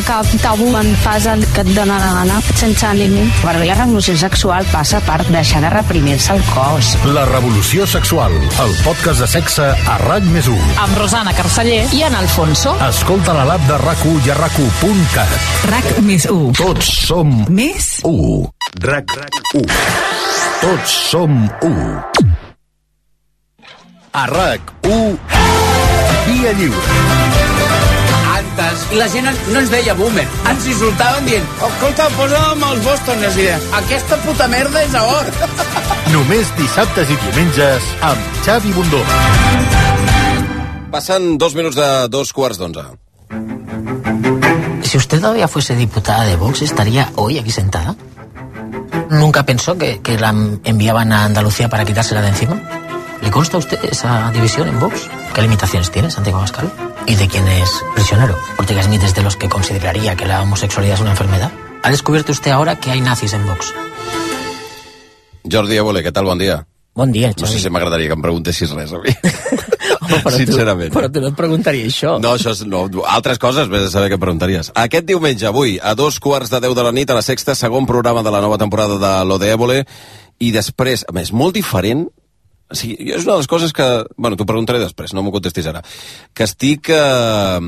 cap tabú en fase que et dóna la gana, sense límit. Per mi la revolució sexual passa per deixar de reprimir-se el cos. La revolució sexual, el podcast de sexe a RAC més u. Amb Rosana Carceller i en Alfonso. Escolta la l'app de RAC u i a RAC u punt cat. RAC més u. Tots som Més u. RAC u. Tots som u. A RAC u, Via Lliure. Antes, la gent no ens deia boomer, ens insultaven dient escolta, posa'm els Bostoners i deien, aquesta puta merda és a or. Només dissabtes i diumenges amb Xavi Bundó. Passen dos minuts de dos quarts d'onze. Si usted todavía fuese diputada de Vox, ¿estaría hoy aquí sentada? ¿Nunca pensó que, que la enviaban a Andalucía para quitársela de encima? ¿Le consta a usted esa división en Vox? ¿Qué limitaciones tiene Santiago Abascal? ¿Y de quién es prisionero? Ortega Smith es de los que consideraría que la homosexualidad es una enfermedad. ¿Ha descubierto usted ahora que hay nazis en Vox? Jordi Évole, què tal? Bon dia. Bon dia, No sé Xavi. si m'agradaria que em preguntessis res a mi. Home, però Sincerament. Tu, però tu no et preguntaria això. No, això és... No, altres coses, vés a saber què preguntaries. Aquest diumenge, avui, a dos quarts de deu de la nit, a la Sexta, segon programa de la nova temporada de Lo de Évole, i després, a més, molt diferent. O sigui, és una de les coses que... Bueno, t'ho preguntaré després, no m'ho contestis ara. Que estic eh,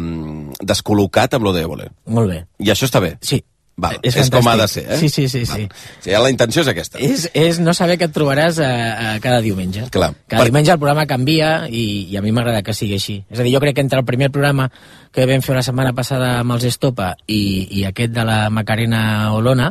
descol·locat amb Lo de Évole. Molt bé. I això està bé? Sí. Val, És és, és com ha de fantàstic. ser, eh? Sí, sí, sí, sí. Sí, la intenció és aquesta. És, és no saber que et trobaràs a, a cada diumenge. Clar. Cada Per- diumenge el programa canvia i, i a mi m'agrada que sigui així. És a dir, jo crec que entre el primer programa que vam fer la setmana passada amb els Estopa i, i aquest de la Macarena Olona,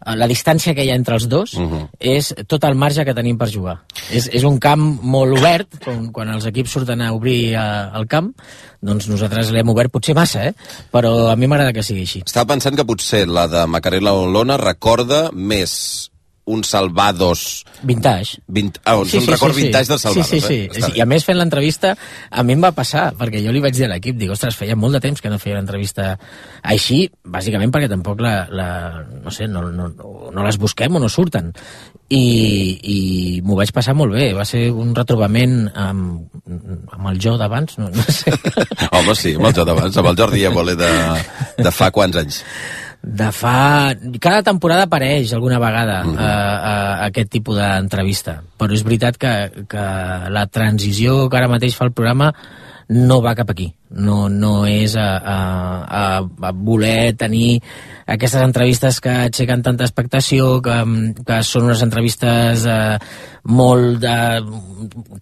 la distància que hi ha entre els dos uh -huh. és tot el marge que tenim per jugar. És, és un camp molt obert, quan, quan els equips surten a obrir a, el camp, doncs nosaltres l'hem obert potser massa, eh? Però a mi m'agrada que sigui així. Estava pensant que potser la de Macarena Olona recorda més un Salvados... Vintage. Vint... Ah, sí, un sí, record sí, vintage sí. del Salvados, sí, sí, sí. eh? Està I a més, fent l'entrevista, a mi em va passar, perquè jo li vaig dir a l'equip, dic, ostres, feia molt de temps que no feia l'entrevista així, bàsicament perquè tampoc la, la no sé, no, no, no les busquem o no surten. I, i m'ho vaig passar molt bé, va ser un retrobament amb, amb el jo d'abans, no, no sé. Home, sí, amb el jo d'abans, amb el Jordi Évole de, de fa quants anys? De fa... Cada temporada apareix alguna vegada Mhm. uh -huh. a, a, a aquest tipus d'entrevista, però és veritat que, que la transició que ara mateix fa el programa no va cap aquí. no, no és a, a, a, a voler tenir aquestes entrevistes que aixequen tanta expectació, que, que són unes entrevistes eh, molt de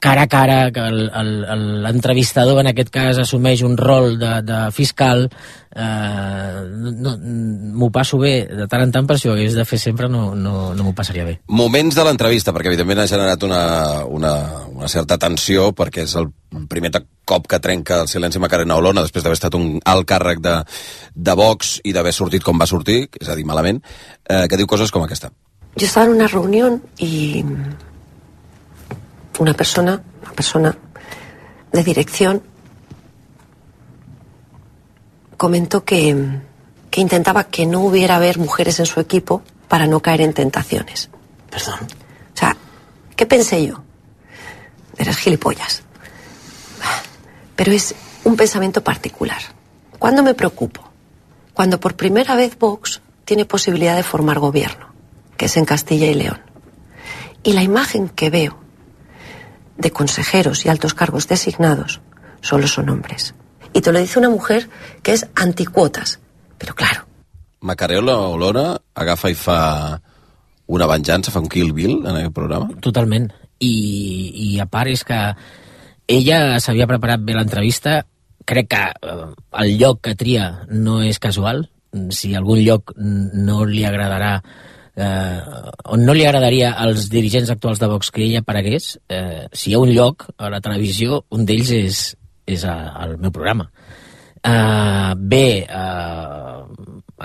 cara a cara, que l'entrevistador en aquest cas assumeix un rol de, de fiscal. Eh, no, m'ho passo bé de tant en tant, però si ho hagués de fer sempre no, no, no m'ho passaria bé. Moments de l'entrevista, perquè evidentment ha generat una, una, una certa tensió, perquè és el primer cop que trenca el silenci Macarena Olona després d'haver estat un alt càrrec de, de Vox i d'haver sortit com va sortir, és a dir, malament, eh, que diu coses com aquesta. Yo estaba en una reunión y una persona, una persona de dirección comentó que, que intentaba que no hubiera haber mujeres en su equipo para no caer en tentaciones. Perdón. O sea, ¿qué pensé yo? Eres gilipollas. Pero es un pensamiento particular. ¿Cuándo me preocupo? Cuando por primera vez Vox tiene posibilidad de formar gobierno, que es en Castilla y León. Y la imagen que veo de consejeros y altos cargos designados solo son hombres. Y te lo dice una mujer que es anticuotas. Pero claro. Macarena Olona agafa i fa una venjança, fa un Kill Bill en aquest programa? Totalment. I, i a part és que ella s'havia preparat bé l'entrevista. Crec que eh, el lloc que tria no és casual. Si algun lloc no li agradarà eh, on no li agradaria als dirigents actuals de Vox que ella aparegués, eh, si hi ha un lloc a la televisió, un d'ells és, és a, al meu programa. Eh, bé, eh,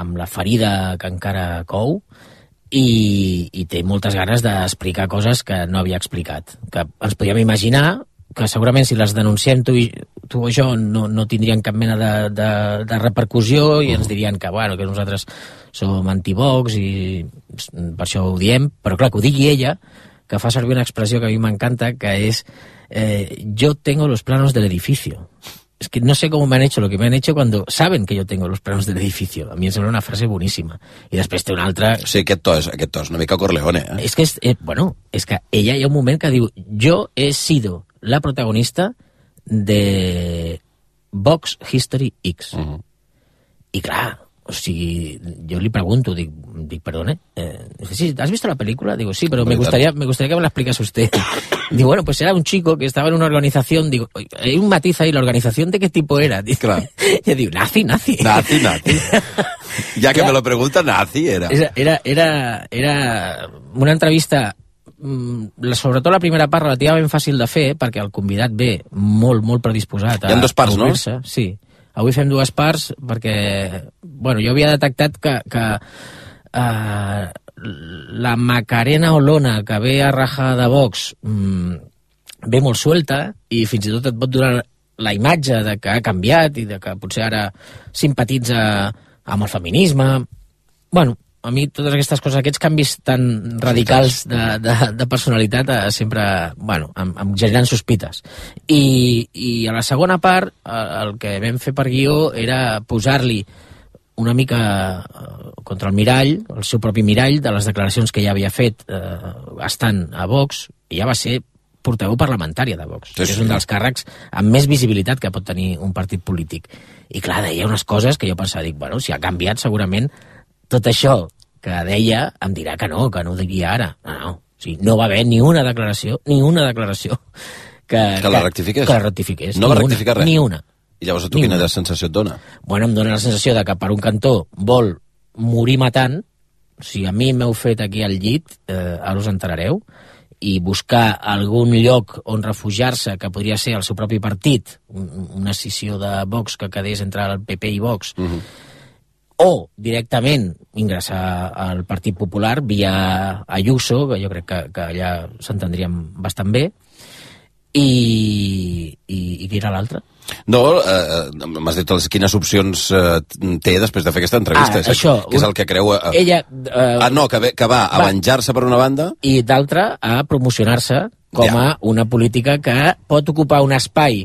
amb la ferida que encara cou, i, i té moltes ganes d'explicar coses que no havia explicat, que ens podíem imaginar que segurament si les denunciem tu, i, tu o jo no, no tindrien cap mena de, de, de repercussió i ens dirien que, bueno, que nosaltres som anti-Vox i per això ho diem, però clar, que ho digui ella, que fa servir una expressió que a mi m'encanta, que és eh, yo tengo los planos del edificio. Es que no sé cómo me han hecho lo que me han hecho cuando saben que yo tengo los planos del edificio. A mi em sembla una frase boníssima. I després té una altra... Sí, aquest to és, aquest to és una mica Corleone, eh? És que, és, eh, bueno, és que ella hi ha un moment que diu yo he sido la protagonista de Vox History X. Uh-huh. I clar, o sigui, yo le pregunto, dic, dic perdone, eh, sí, ¿has visto la película? Digo, sí, pero me gustaría, me gustaría que me la explicase usted. Digo, bueno, pues era un chico que estaba en una organización, digo, hay un matiz ahí, ¿la organización de qué tipo era? Digo, claro. Yo digo, nazi, nazi. Nazi, nazi. Ya que claro, me lo pregunta, nazi era. Era, era, era una entrevista, sobretot la primera part relativament fàcil de fer, perquè el convidat ve molt, molt predisposat a, hi ha dos parts, a obrir-se. No? Sí. Avui fem dues parts perquè, bueno, jo havia detectat que, que uh, la Macarena Olona que ve a rajar de Vox mmm, ve molt suelta i fins i tot et pot donar la imatge de que ha canviat i de que potser ara simpatitza amb el feminisme. Bueno, a mi totes aquestes coses, aquests canvis tan radicals de, de, de personalitat eh, sempre, bueno, em, em generen sospites. I, I a la segona part, eh, el que vam fer per guió era posar-li una mica eh, contra el mirall, el seu propi mirall, de les declaracions que ja havia fet eh, estant a Vox, i ja va ser portaveu parlamentària de Vox, sí, que és un dels càrrecs amb més visibilitat que pot tenir un partit polític. I clar, deia unes coses que jo pensava, dic, bueno, si ha canviat segurament tot això que deia em dirà que no, que no ho diria ara. No, no. O sigui, no va haver ni una declaració, ni una declaració que, que la rectifiqués. Que la rectifiqués. No va rectificar res. Ni una. I llavors a tu quina sensació et dona? Bueno, em dona la sensació de que per un cantó vol morir matant. Si a mi m'heu fet aquí al llit, eh, ara us enterareu, i buscar algun lloc on refugiar-se, que podria ser el seu propi partit, una escissió de Vox que quedés entre el P P i Vox, uh-huh. o directament ingressar al Partit Popular via Ayuso, que jo crec que, que allà s'entendríem bastant bé, i, i, i qui era l'altre? No, eh, m'has dit quines opcions eh, té després de fer aquesta entrevista. Ah, això, que és el que creu... Eh, ella... Eh, ah, no, que, ve, que va, va a venjar-se per una banda... I d'altra, a promocionar-se com ja. a una política que pot ocupar un espai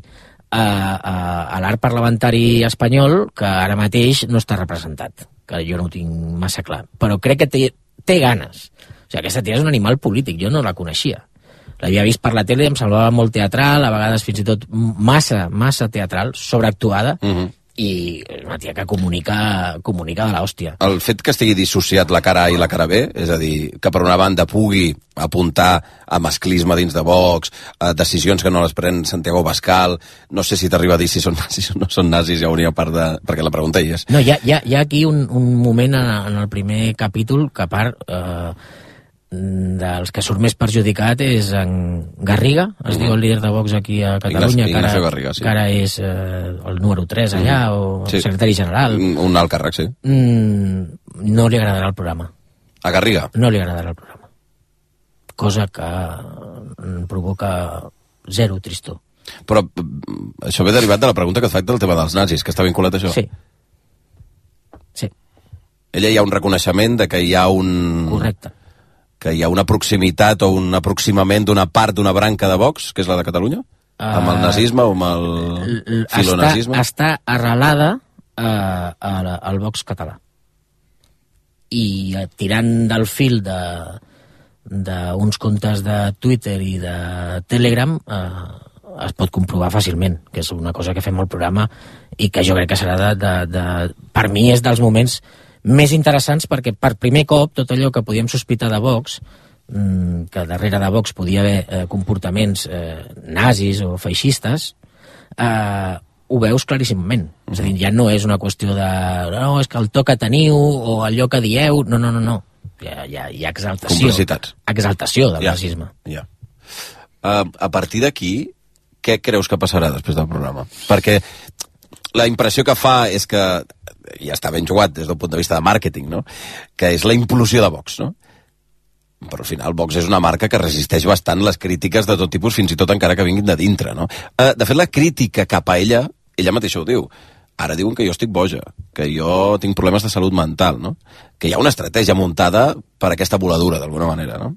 a, a, a l'art parlamentari espanyol que ara mateix no està representat, que jo no ho tinc massa clar. Però crec que té, té ganes. O sigui, aquesta tia és un animal polític, jo no la coneixia. l'havia vist per la tele, em semblava molt teatral, a vegades fins i tot massa, massa teatral, sobreactuada, uh-huh. i una tia que comunica, comunica de l'hòstia. El fet que estigui dissociat la cara A i la cara B, és a dir, que per una banda pugui apuntar a masclisme dins de Vox, a decisions que no les pren Santiago Abascal, no sé si t'arriba a dir si són nazis o no són nazis, ja hauria part de... perquè la pregunta hi és. No, hi ha, hi ha, hi ha aquí un, un moment en, en el primer capítol que a part... Eh, dels que surt més perjudicat és en Garriga, es mm-hmm. diu el líder de Vox aquí a Catalunya, que ara, Garriga, sí. que ara és eh, el número tres allà, mm-hmm. o sí. secretari general. Un alt càrrec, sí. Mm, no li agradarà el programa. A Garriga? No li agradarà el programa. Cosa que provoca zero tristor. Però això ve derivat de la pregunta que et faig del tema dels nazis, que està vinculat a això? Sí. Sí. Ella hi ha un reconeixement de que hi ha un... Correcte. que hi ha una proximitat o un aproximament d'una part d'una branca de Vox, que és la de Catalunya? Uh, amb el nazisme o amb el filonazisme? Està, està arrelada uh, al Vox català. I uh, tirant del fil de d'uns comptes de Twitter i de Telegram uh, es pot comprovar fàcilment, que és una cosa que fem al programa i que jo crec que serà de, de, de... per mi és dels moments més interessants, perquè per primer cop tot allò que podíem sospitar de Vox, que darrere de Vox podia haver eh, comportaments eh, nazis o feixistes, eh, ho veus claríssimament. Mm-hmm. És a dir, ja no és una qüestió de no, és que el to que teniu o allò que dieu, no, no, no, no. Hi ha, hi ha, hi ha exaltació. Complicitats. Exaltació del ja, nazisme. Ja. Uh, a partir d'aquí, què creus que passarà després del programa? Perquè la impressió que fa és que ja està ben jugat des del punt de vista de màrqueting, no? Que és la implosió de Vox, no? Però al final Vox és una marca que resisteix bastant les crítiques de tot tipus, fins i tot encara que vinguin de dintre, no? Uh, de fet, la crítica cap a ella, ella mateixa ho diu, ara diuen que jo estic boja, que jo tinc problemes de salut mental, no? Que hi ha una estratègia muntada per aquesta voladura, d'alguna manera, no?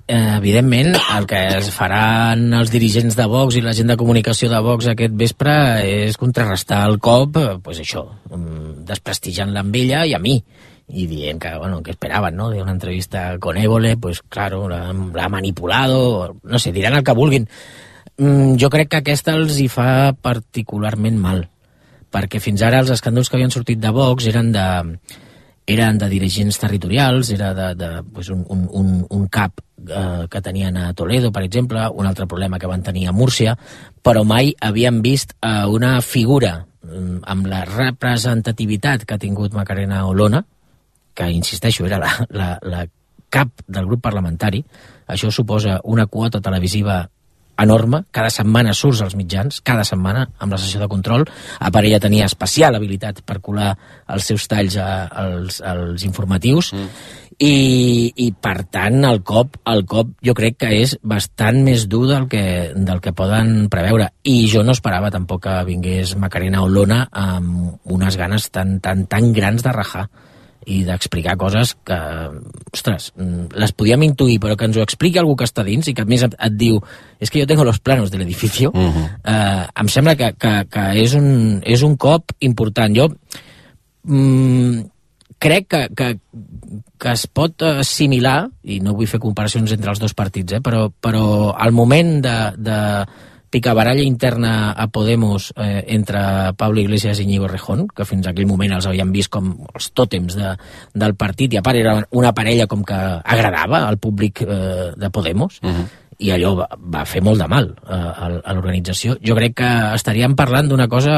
Evidentment, el que es faran els dirigents de Vox i la gent de comunicació de Vox aquest vespre és contrarrestar el cop, pues això, desprestigiant-la amb ella i a mi, i dient que, bueno, que esperaven, ¿no? De una entrevista con Évole, pues claro, la, la ha manipulado, no sé, diran el que vulguin. Mm, jo crec que aquesta els hi fa particularment mal, perquè fins ara els escàndols que havien sortit de Vox eren de... eren de dirigents territorials, era de, de pues un, un, un, un cap eh, que tenien a Toledo, per exemple, un altre problema que van tenir a Múrcia, però mai havien vist eh, una figura eh, amb la representativitat que ha tingut Macarena Olona, que, insisteixo, era la, la, la cap del grup parlamentari. Això suposa una quota televisiva enorme, cada setmana surts als mitjans, cada setmana, amb la sessió de control. A part, ella tenia especial habilitat per colar els seus talls a, als, als informatius, mm. i, i per tant el cop, el cop jo crec que és bastant més dur del que, del que poden preveure, i jo no esperava tampoc que vingués Macarena Olona amb unes ganes tan, tan, tan grans de rajar i d'explicar coses que, ostres, les podíem intuir, però que ens ho expliqui algú que està dins i que a més et, et diu, és que jo tengo los planos de l'edificio, uh-huh. eh, em sembla que, que, que és, un, és un cop important. Jo mm, crec que, que, que es pot assimilar, i no vull fer comparacions entre els dos partits, eh, però, però al moment de, de picabaralla interna a Podemos eh, entre Pablo Iglesias i Íñigo Errejón, que fins a aquell moment els havien vist com els tòtems de, del partit, i a part era una parella com que agradava al públic eh, de Podemos, uh-huh. i allò va, va fer molt de mal eh, a, a l'organització. Jo crec que estaríem parlant d'una cosa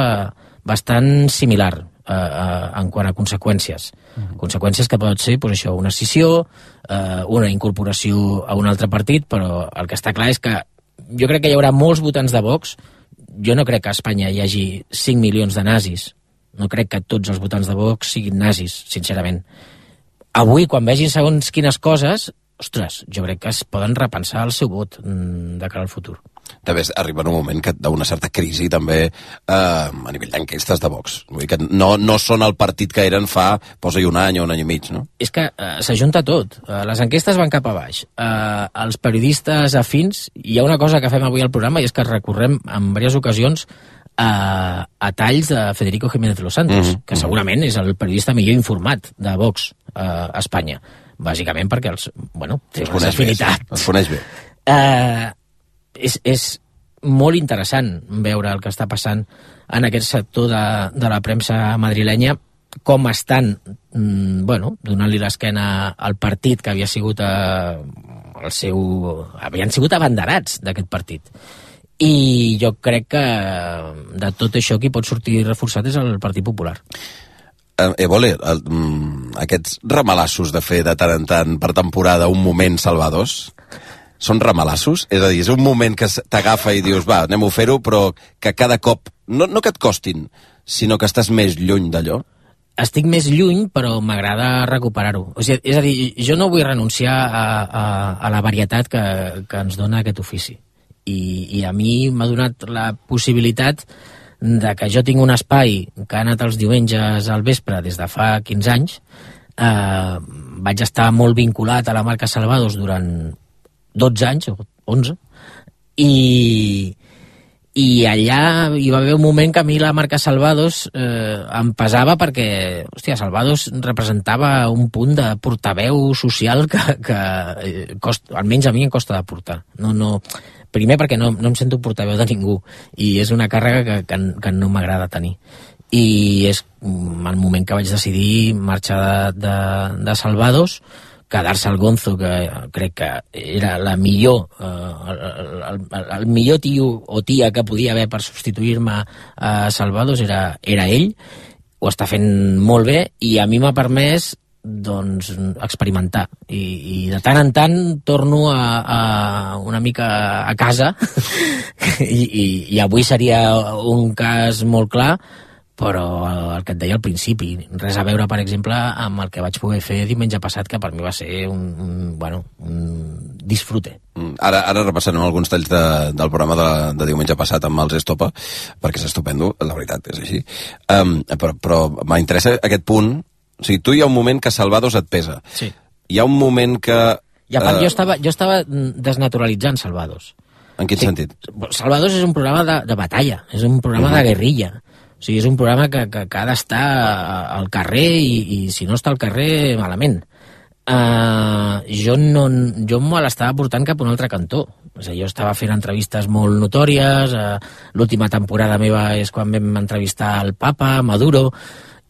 bastant similar eh, eh, en quant a conseqüències. Uh-huh. Conseqüències que pot ser pues, això, una escissió, eh, una incorporació a un altre partit, però el que està clar és que jo crec que hi haurà molts votants de Vox. Jo no crec que a Espanya hi hagi cinc milions de nazis. No crec que tots els votants de Vox siguin nazis, sincerament. Avui, quan vegin segons quines coses, ostres, jo crec que es poden repensar el seu vot de cara al futur. També arriba en un moment que d'una certa crisi també eh, a nivell d'enquestes de Vox. Vull dir que no, no són el partit que eren fa, posa-hi un any o un any i mig, no? És que eh, s'ajunta tot. Eh, les enquestes van cap a baix. Eh, els periodistes afins, hi ha una cosa que fem avui al programa i és que recorrem en diverses ocasions a, a talls de Federico Jiménez de los Santos, mm-hmm. que segurament és el periodista millor informat de Vox eh, a Espanya. Bàsicament perquè els, bueno, té una afinitat. Els coneix bé. Eh, és, és molt interessant veure el que està passant en aquest sector de, de la premsa madrilenya, com estan mm, bueno, donant-li l'esquena al partit que havia sigut eh, el seu... havien sigut abanderats d'aquest partit. I jo crec que de tot això qui pot sortir reforçat és el Partit Popular. Eh, Évole, el, mm, aquests ramalassos de fer de tant en tant per temporada un moment salvadors, són ramalassos? És a dir, és un moment que t'agafa i dius, va, anem a fer-ho, però que cada cop, no, no que et costin, sinó que estàs més lluny d'allò? Estic més lluny, però m'agrada recuperar-ho. O sigui, és a dir, jo no vull renunciar a, a, a la varietat que, que ens dona aquest ofici. I, i a mi m'ha donat la possibilitat de que jo tinc un espai que ha anat els diumenges al vespre des de fa quinze anys. Eh, vaig estar molt vinculat a la marca Salvados durant dotze anys, o onze, i, i allà hi va haver un moment que a mi la marca Salvados eh, em pesava perquè, hòstia, Salvados representava un punt de portaveu social que, que cost, almenys a mi em costa de portar. No, no, primer perquè no, no em sento portaveu de ningú i és una càrrega que, que, que no m'agrada tenir. I és el moment que vaig decidir marxar de, de, de Salvados, quedar-se al Gonzo, que crec que era la millor, eh, el, el, el millor tio o tia que podia haver per substituir-me a Salvados era, era ell. Ho està fent molt bé i a mi m'ha permès doncs experimentar i, i de tant en tant torno a, a una mica a casa I, i, i avui seria un cas molt clar, però el que et deia al principi, res a veure, per exemple, amb el que vaig poder fer diumenge passat, que per mi va ser un, un, bueno, un disfrute. Ara, ara repassarem alguns talls de, del programa de, de diumenge passat amb els Estopa, perquè és estupendo, la veritat, és així. Um, però però m'interessa aquest punt. O sigui, tu hi ha un moment que Salvados et pesa. Sí. Hi ha un moment que... I a part, uh... jo, estava, jo estava desnaturalitzant Salvados. En quin sí. sentit? Salvados és un programa de, de batalla, és un programa uh-huh. de guerrilla. O sigui, és un programa que, que, que ha d'estar al carrer i, i si no està al carrer, malament. Uh, jo no, jo me l'estava portant cap a un altre cantó. O sigui, jo estava fent entrevistes molt notòries, uh, l'última temporada meva és quan vam entrevistar el Papa, Maduro...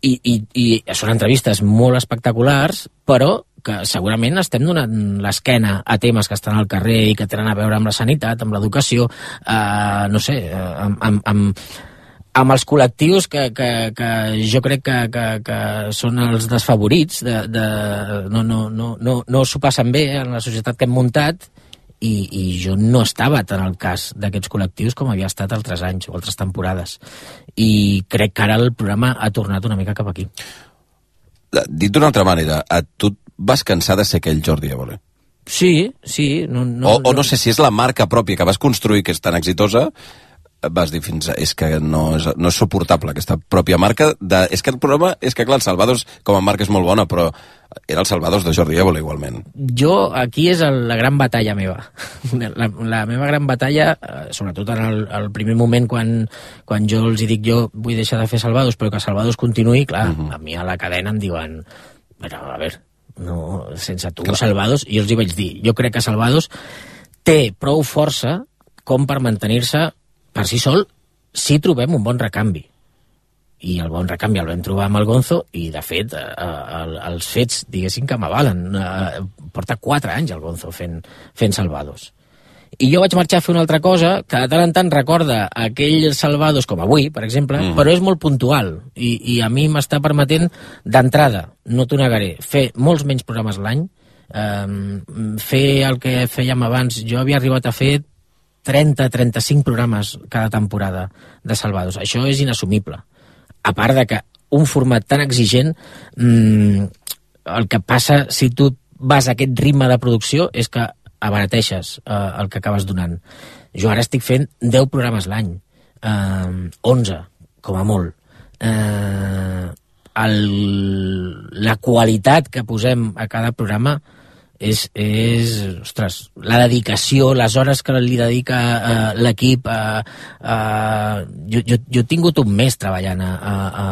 I, i, i són entrevistes molt espectaculars, però que segurament estem donant l'esquena a temes que estan al carrer i que tenen a veure amb la sanitat, amb l'educació, eh, no sé, amb, amb, amb, amb els col·lectius que, que, que jo crec que, que, que són els desfavorits, de, de, no, no, no, no, no s'ho passen bé en la societat que hem muntat, i, i jo no estava tan al cas d'aquests col·lectius com havia estat altres anys o altres temporades. I crec que ara el programa ha tornat una mica cap aquí. Dit d'una altra manera, a tu vas cansar de ser aquell Jordi Évole? Sí, sí. No, no, o, o no sé si és la marca pròpia que vas construir, que és tan exitosa, vas dir fins a, és que no és, no és suportable aquesta pròpia marca de, és que el programa, és que clar, el Salvados com a marca és molt bona, però era el Salvados de Jordi Évole igualment. Jo, aquí és el, la gran batalla meva. La, la meva gran batalla, sobretot en el, el primer moment quan, quan jo els hi dic jo vull deixar de fer Salvados, però que Salvados continuï, clar, uh-huh. a mi a la cadena em diuen però a veure, no, sense tu clar. Salvados, i jo els hi vaig dir, jo crec que Salvados té prou força com per mantenir-se per si sol, si trobem un bon recanvi. I el bon recanvi el vam trobar amb el Gonzo i, de fet, eh, el, els fets, diguéssim, que m'avalen. Eh, porta quatre anys el Gonzo fent, fent Salvados. I jo vaig marxar a fer una altra cosa que de tant en tant recorda aquell Salvados, com avui, per exemple, mm. però és molt puntual. I, i a mi m'està permetent, d'entrada, no t'ho negaré, fer molts menys programes l'any, eh, fer el que fèiem abans. Jo havia arribat a fer trenta a trenta-cinc programes cada temporada de Salvados. Això és inassumible. A part de que un format tan exigent, mmm, el que passa si tu vas a aquest ritme de producció és que abarateixes eh, el que acabes donant. Jo ara estic fent deu programes l'any, eh, onze, com a molt. Eh, el, la qualitat que posem a cada programa és, és, ostres, la dedicació, les hores que li dedica uh, l'equip. Uh, uh, jo, jo, jo he tingut un mes treballant a, a,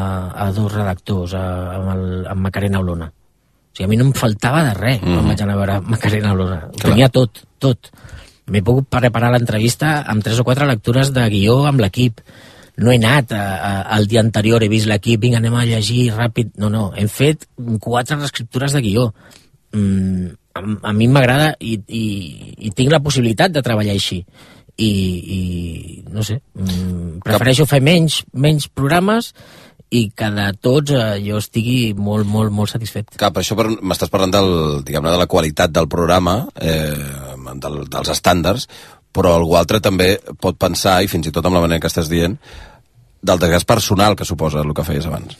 a dos redactors, a, amb, el, amb Macarena Olona. O sigui, a mi no em faltava de res mm. quan vaig anar a veure Macarena Olona. Ho tenia tot, tot. m'he pogut preparar l'entrevista amb tres o quatre lectures de guió amb l'equip. No he anat a, a, el dia anterior, he vist l'equip, vinga, anem a llegir ràpid. No, no, hem fet quatre reescriptures de guió. Mm, a, a mi m'agrada i, i, i tinc la possibilitat de treballar així. I, i no sé, mm, prefereixo fer menys, menys programes i que de tots eh, jo estigui molt, molt, molt satisfet. Cap, això per, m'estàs parlant del, diguem-ne, de la qualitat del programa, eh, del, dels estàndards, però algú altre també pot pensar, i fins i tot amb la manera que estàs dient, del desgast personal que suposa el que feies abans.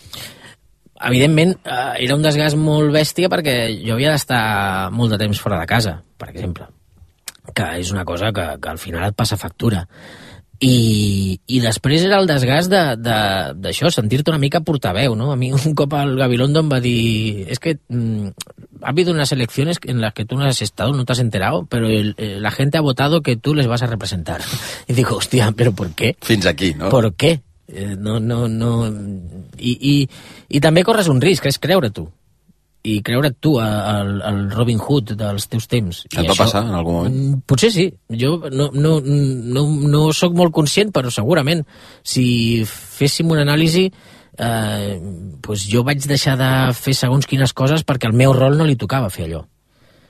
Evidentment, eh, era un desgast molt bèstia perquè jo havia d'estar molt de temps fora de casa, per exemple, que és una cosa que, que al final et passa factura. I, i després era el desgast d'això, de, sentir-te una mica portaveu, ¿no? A mi un cop el Gabilondo em va dir es que mm, ha habido unas elecciones en las que tú no has estado, no te has enterado, pero el, el, la gente ha votado que tú les vas a representar. Y digo, hostia, ¿pero por qué? Fins aquí, no? ¿Por qué? Eh, no, no, no... I, i, i també corres un risc, que és creure tu. I creure't tu al, al Robin Hood dels teus temps. Et va això, passar en algun moment? Potser sí. Jo no, no, no, no sóc molt conscient, però segurament si féssim una anàlisi eh, doncs jo vaig deixar de fer segons quines coses perquè al meu rol no li tocava fer allò.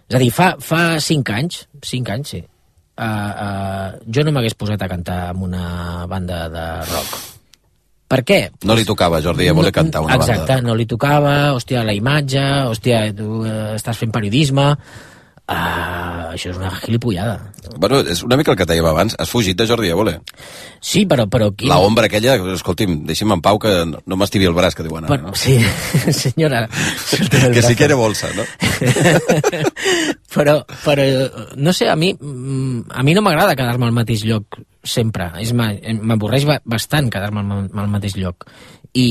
És a dir, fa, fa cinc anys, cinc anys, sí, uh, uh, jo no m'hagués posat a cantar amb una banda de rock. Per què? No li tocava, Jordi Évole, no, cantar una exacte, banda. Exacte, no li tocava, hòstia, la imatge, hòstia, tu eh, estàs fent periodisme... Uh, això és una gilipollada. Bueno, és una mica el que dèiem abans, has fugit de Jordi Évole. Sí, però... però aquí... La ombra aquella, escolti'm, deixi'm en pau que no m'estivi el braç, que diuen ara, però, no? Sí, senyora... que si quiere bolsa, no? però, però, no sé, a mi a mi no m'agrada quedar-me al mateix lloc sempre. M'avorreix bastant quedar-me al mateix lloc. I,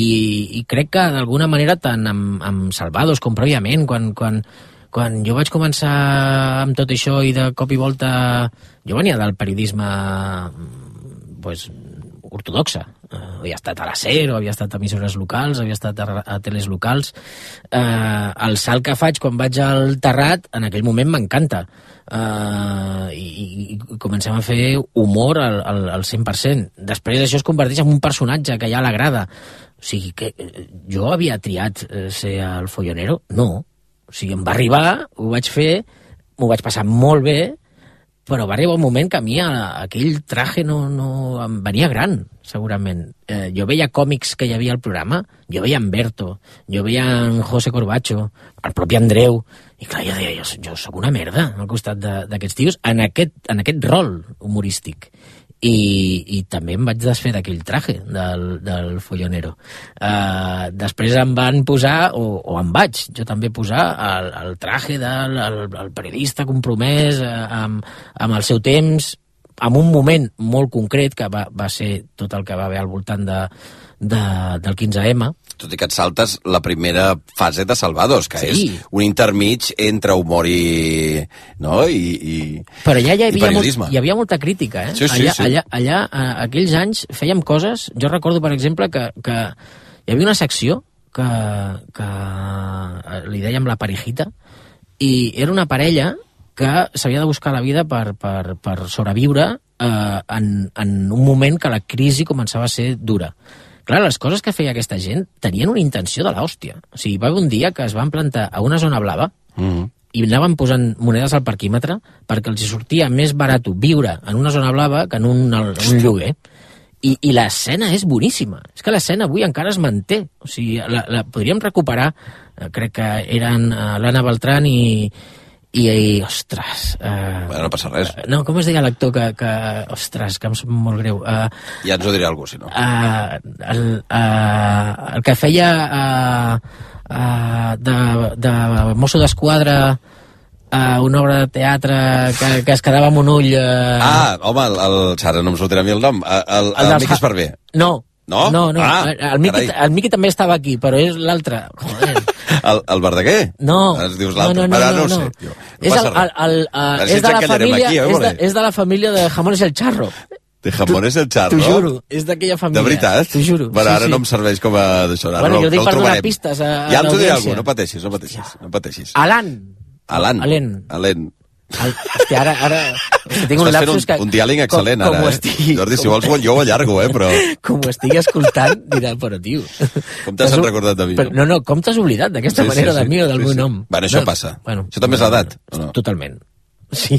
i crec que d'alguna manera tant amb, amb Salvados com prèviament, quan... quan Quan jo vaig començar amb tot això i de cop i volta... Jo venia del periodisme pues, ortodoxa. Uh, havia estat a la SER, havia estat a emissores locals, havia estat a, a teles locals. Uh, el salt que faig quan vaig al Terrat, en aquell moment m'encanta. Uh, i, i comencem a fer humor al, al, al cent per cent. Després això es converteix en un personatge que ja l'agrada. O sigui, que jo havia triat ser el follonero? No. O sigui, em va arribar, ho vaig fer, m'ho vaig passar molt bé, però va arribar un moment que a mi aquell traje no, no em venia gran, segurament. Eh, jo veia còmics que hi havia al programa, jo veia en Berto, jo veia en José Corbacho, el propi Andreu, i clar, jo deia, jo, jo sóc una merda al costat d'aquests tios en aquest, en aquest rol humorístic. I, i també em vaig desfer d'aquell traje del, del follonero. Uh, després em van posar, o, o em vaig jo també posar, el, el traje del el, el periodista compromès uh, amb, amb el seu temps, en un moment molt concret, que va, va ser tot el que va haver al voltant de, de, del quinze eme. Tot i que et saltes la primera fase de Salvados, que sí. És un intermig entre humor i... no? I, i però allà hi havia, periodisme. Molt, hi havia molta crítica, eh? Sí, sí, allà, sí. allà, allà, a aquells anys, fèiem coses... Jo recordo, per exemple, que, que hi havia una secció que, que li dèiem la parejita, i era una parella que s'havia de buscar la vida per, per, per sobreviure eh, en, en un moment que la crisi començava a ser dura. Clar, les coses que feia aquesta gent tenien una intenció de l'hòstia. O sigui, va haver un dia que es van plantar a una zona blava mm. i anaven posant monedes al parquímetre perquè els sortia més barat viure en una zona blava que en un, un lloguer. I, i l'escena és boníssima. És que l'escena avui encara es manté. O sigui, la, la podríem recuperar. Crec que eren l'Anna Beltrán i... I, i ostres... Uh, bueno, no passa res. No, com es deia l'actor que, que... Ostres, que em sap molt greu. Uh, ja ens ho diré algú, si no. Uh, el, uh, el que feia uh, uh, de, de mosso d'esquadra uh, una obra de teatre que, que es quedava amb un ull... Uh... Ah, home, el, el, ara no em sortirà a mi el nom. El, el, el, el Miqui Esparvé. No. No? No, no. Ah, el, Miqui, el Miqui també estava aquí, però és l'altre. Joder. El, el Verdaguer? No. Es dius l'altre. No, no, no, no, no, no, no. Sé, jo. No és, el, el, el, uh, és, de la família, aquí, eh, és, de, és de la família de Jamones el Charro. De Jamones el Charro? T'ho juro, és d'aquella família. De veritat? T'ho juro. Bueno, sí, ara sí. no em serveix com a d'això. Bueno, no, jo dic no per donar pistes a, a ja ens ho diré l'audiència. algú, no pateixis, no pateixis. No pateixis. Alan. Alan. Alen. Alen. El, hòstia, ara... ara hòstia, tinc un Estàs fent lapsus un, que... un diàleg excel·lent, com, com ara, eh? estigui, Jordi, si com, vols, jo ho allargo, eh, però... Com ho estigui escoltant, dirà, però, tio... Com t'has recordat de mi? Però, no, no, com t'has oblidat d'aquesta Sí, sí, manera sí, de mi o del sí, meu sí. nom? Bueno, això no, passa. Bueno, Això també és l'edat, o no? Totalment. Sí,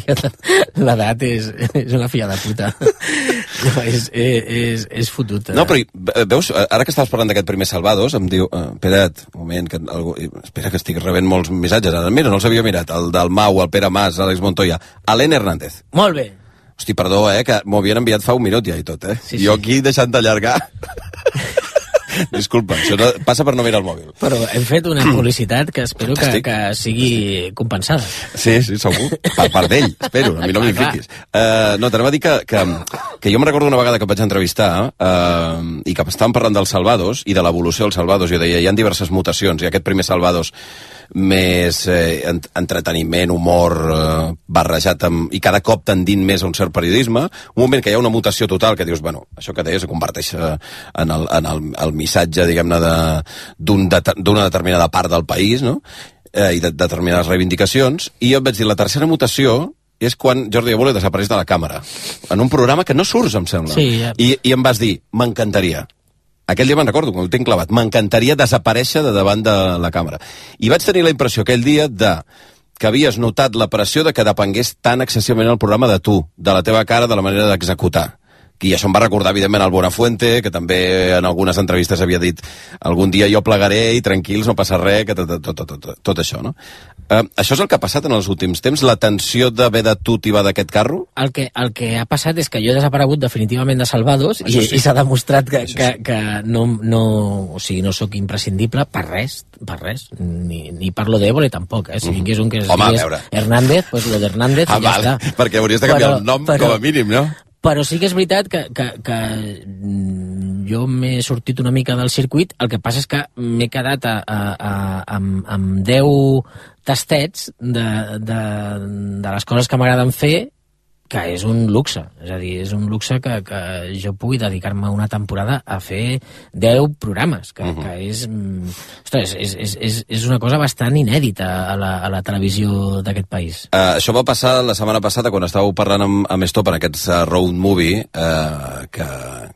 l'edat és, és una filla de puta. No, és, és, és fotut. No, però veus, ara que estaves parlant d'aquest primer Salvados, em diu, eh, espera't, un moment, que algú, espera que estic rebent molts missatges, ara mira, no els havia mirat, el del Mau, el Pere Mas, l'Àlex Montoya, Alén Hernández. Molt bé. Hosti, perdó, eh, que m'ho havien enviat fa un minut ja i tot, eh? Sí, jo sí. aquí deixant d'allargar... Disculpa, això no, passa per no mirar el mòbil. Però hem fet una publicitat que espero que, que sigui compensada. Sí, sí, segur. Per part d'ell, espero, a mi no m'hi fiquis. Uh, no, t'anava a dir que, que, que jo em recordo una vegada que vaig entrevistar uh, i que estàvem parlant dels Salvados i de l'evolució dels Salvados. Jo deia, hi ha diverses mutacions, i aquest primer Salvados més eh, entreteniment, humor eh, barrejat amb, i cada cop tendint més a un cert periodisme, un moment que hi ha una mutació total que dius, bueno, això que deies es converteix eh, en, el, en el, el missatge, diguem-ne, d'una de, de, determinada part del país, no? Eh, i de, de determinades reivindicacions, i jo et vaig dir, la tercera mutació és quan Jordi Évole desapareix de la càmera, en un programa que no surts, em sembla. Sí, ja. I, I em vas dir, m'encantaria. Aquell dia me'n recordo, quan ho tinc clavat. M'encantaria desaparèixer de davant de la càmera. I vaig tenir la impressió aquell dia de que havies notat la pressió de que depengués tan excessivament el programa de tu, de la teva cara, de la manera d'executar. I això em va recordar, evidentment, el Buenafuente, que també en algunes entrevistes havia dit algun dia jo plegaré i tranquils, no passa res, que tot, tot, tot, tot, tot això, no? Uh, això és el que ha passat en els últims temps, la tensió d'haver de tu tibar d'aquest carro? El que, el que ha passat és que jo he desaparegut definitivament de Salvados i, sí. i s'ha demostrat que, que, sí. que no, no, o sigui, no sóc imprescindible per res, per res, ni, ni parlo d'Évole tampoc, eh? Si vingués un que es Home, digués Hernández, pues lo de Hernández ah, i ja val, està. Perquè hauries de canviar però, el nom però, com a mínim, no? Però sí que és veritat que, que, que jo m'he sortit una mica del circuit, el que passa és que m'he quedat a, a, a, amb, amb deu tastets de, de, de les coses que m'agraden fer, que és un luxe, és a dir, és un luxe que, que jo pugui dedicar-me una temporada a fer deu programes, que, uh -huh. que és, ostres, és, és, és, és una cosa bastant inèdita a la, a la televisió d'aquest país. Uh, això va passar la setmana passada quan estàveu parlant amb, amb Stop en aquest uh, road movie, uh, que,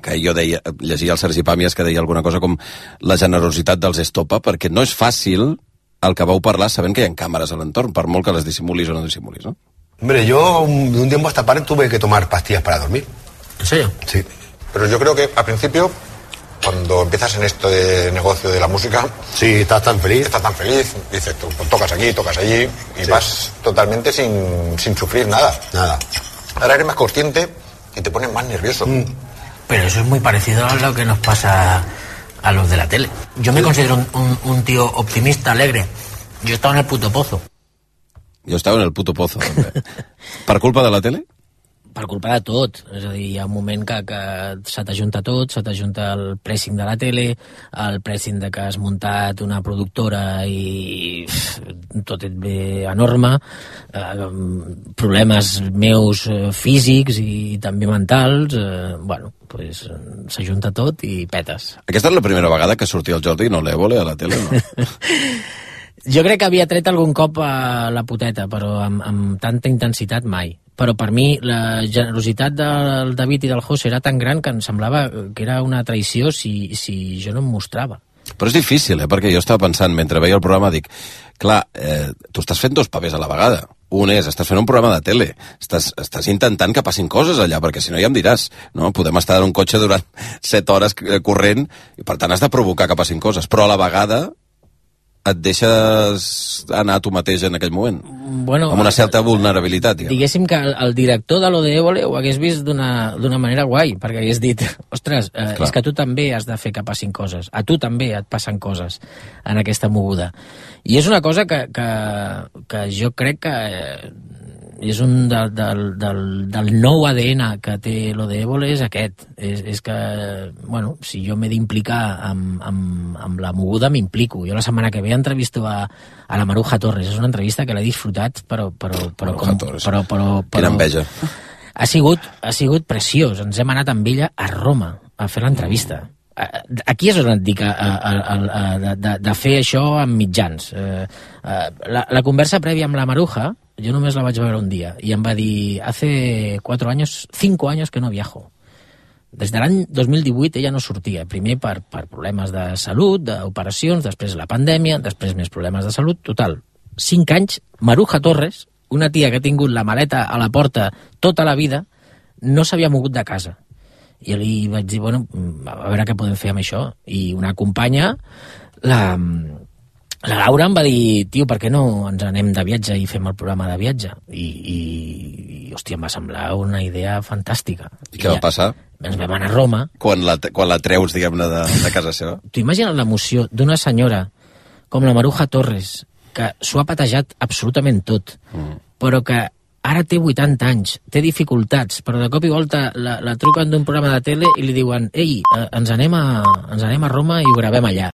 que jo deia, llegia el Sergi Pàmies que deia alguna cosa com la generositat dels Estopa, perquè no és fàcil el que vau parlar sabent que hi ha càmeres a l'entorn, per molt que les dissimulis o no dissimulis, no? Hombre, yo de un tiempo a esta parte tuve que tomar pastillas para dormir. ¿En serio? Sí. Pero yo creo que al principio, cuando empiezas en esto de negocio de la música... Sí, estás tan feliz. Estás tan feliz, dices, tú tocas aquí, tocas allí, y sí. vas totalmente sin, sin sufrir nada. Nada. Ahora eres más consciente y te pones más nervioso. Mm. Pero eso es muy parecido a lo que nos pasa a los de la tele. Yo me sí. considero un, un, un tío optimista, alegre. Yo estaba en el puto pozo. Jo estava en el puto pozo, també. Per culpa de la tele? Per culpa de tot. És a dir, hi ha un moment que, que se t'ajunta tot, se t'ajunta el pressing de la tele, el pressing de que has muntat una productora i pff, tot et ve enorme, eh, problemes meus eh, físics i també mentals, eh, bueno, pues, s'ajunta tot i petes. Aquesta és la primera vegada que sortia el Jordi, no l'Évole, a la tele, no? Jo crec que havia tret algun cop a la puteta, però amb, amb tanta intensitat mai. Però per mi la generositat del David i del José era tan gran que em semblava que era una traïció si, si jo no em mostrava. Però és difícil, eh? Perquè jo estava pensant, mentre veia el programa, dic, clar, eh, tu estàs fent dos papers a la vegada. Un és, estàs fent un programa de tele, estàs, estàs intentant que passin coses allà, perquè si no ja em diràs, no? Podem estar en un cotxe durant set hores corrent, i per tant has de provocar que passin coses, però a la vegada et deixes anar tu mateix en aquell moment, bueno, amb una certa vulnerabilitat. Diguem. Diguéssim que el, el director de lo de Évole ho hagués vist d'una manera guai, perquè hagués dit, ostres, eh, és que tu també has de fer que passin coses, a tu també et passen coses en aquesta moguda. I és una cosa que, que, que jo crec que eh, és un de, del, del, del nou A D N que té lo de Évole és aquest, és, és que, bueno, si jo m'he d'implicar amb, amb, amb la moguda, m'implico. Jo la setmana que ve entrevisto a, a la Maruja Torres, és una entrevista que l'he disfrutat, però... però, però, com, però, però, però Quina enveja. Ha sigut, ha sigut preciós, ens hem anat amb ella a Roma a fer l'entrevista. Aquí és on et dic a, a, a, a, de, de fer això amb mitjans. La, la conversa prèvia amb la Maruja jo només la vaig veure un dia, i em va dir, hace cuatro años, cinco años que no viajo. Des de l'any dos mil divuit ella no sortia, primer per, per problemes de salut, d'operacions, després la pandèmia, després més problemes de salut, total. Cinc anys, Maruja Torres, una tia que ha tingut la maleta a la porta tota la vida, no s'havia mogut de casa. I li vaig dir, bueno, a veure què podem fer amb això. I una companya, la, la Laura em va dir, tio, per què no ens anem de viatge i fem el programa de viatge? I, i, i hòstia, em va semblar una idea fantàstica. I què va passar? Ens vam anar a Roma. Quan la, quan la treus, diguem-ne, de, de casa seva? T'ho imagines l'emoció d'una senyora com la Maruja Torres, que s'ho ha patejat absolutament tot, mm. però que ara té vuitanta anys, té dificultats, però de cop i volta la, la truquen d'un programa de tele i li diuen, ei, ens anem, a, ens anem a Roma i ho gravem allà.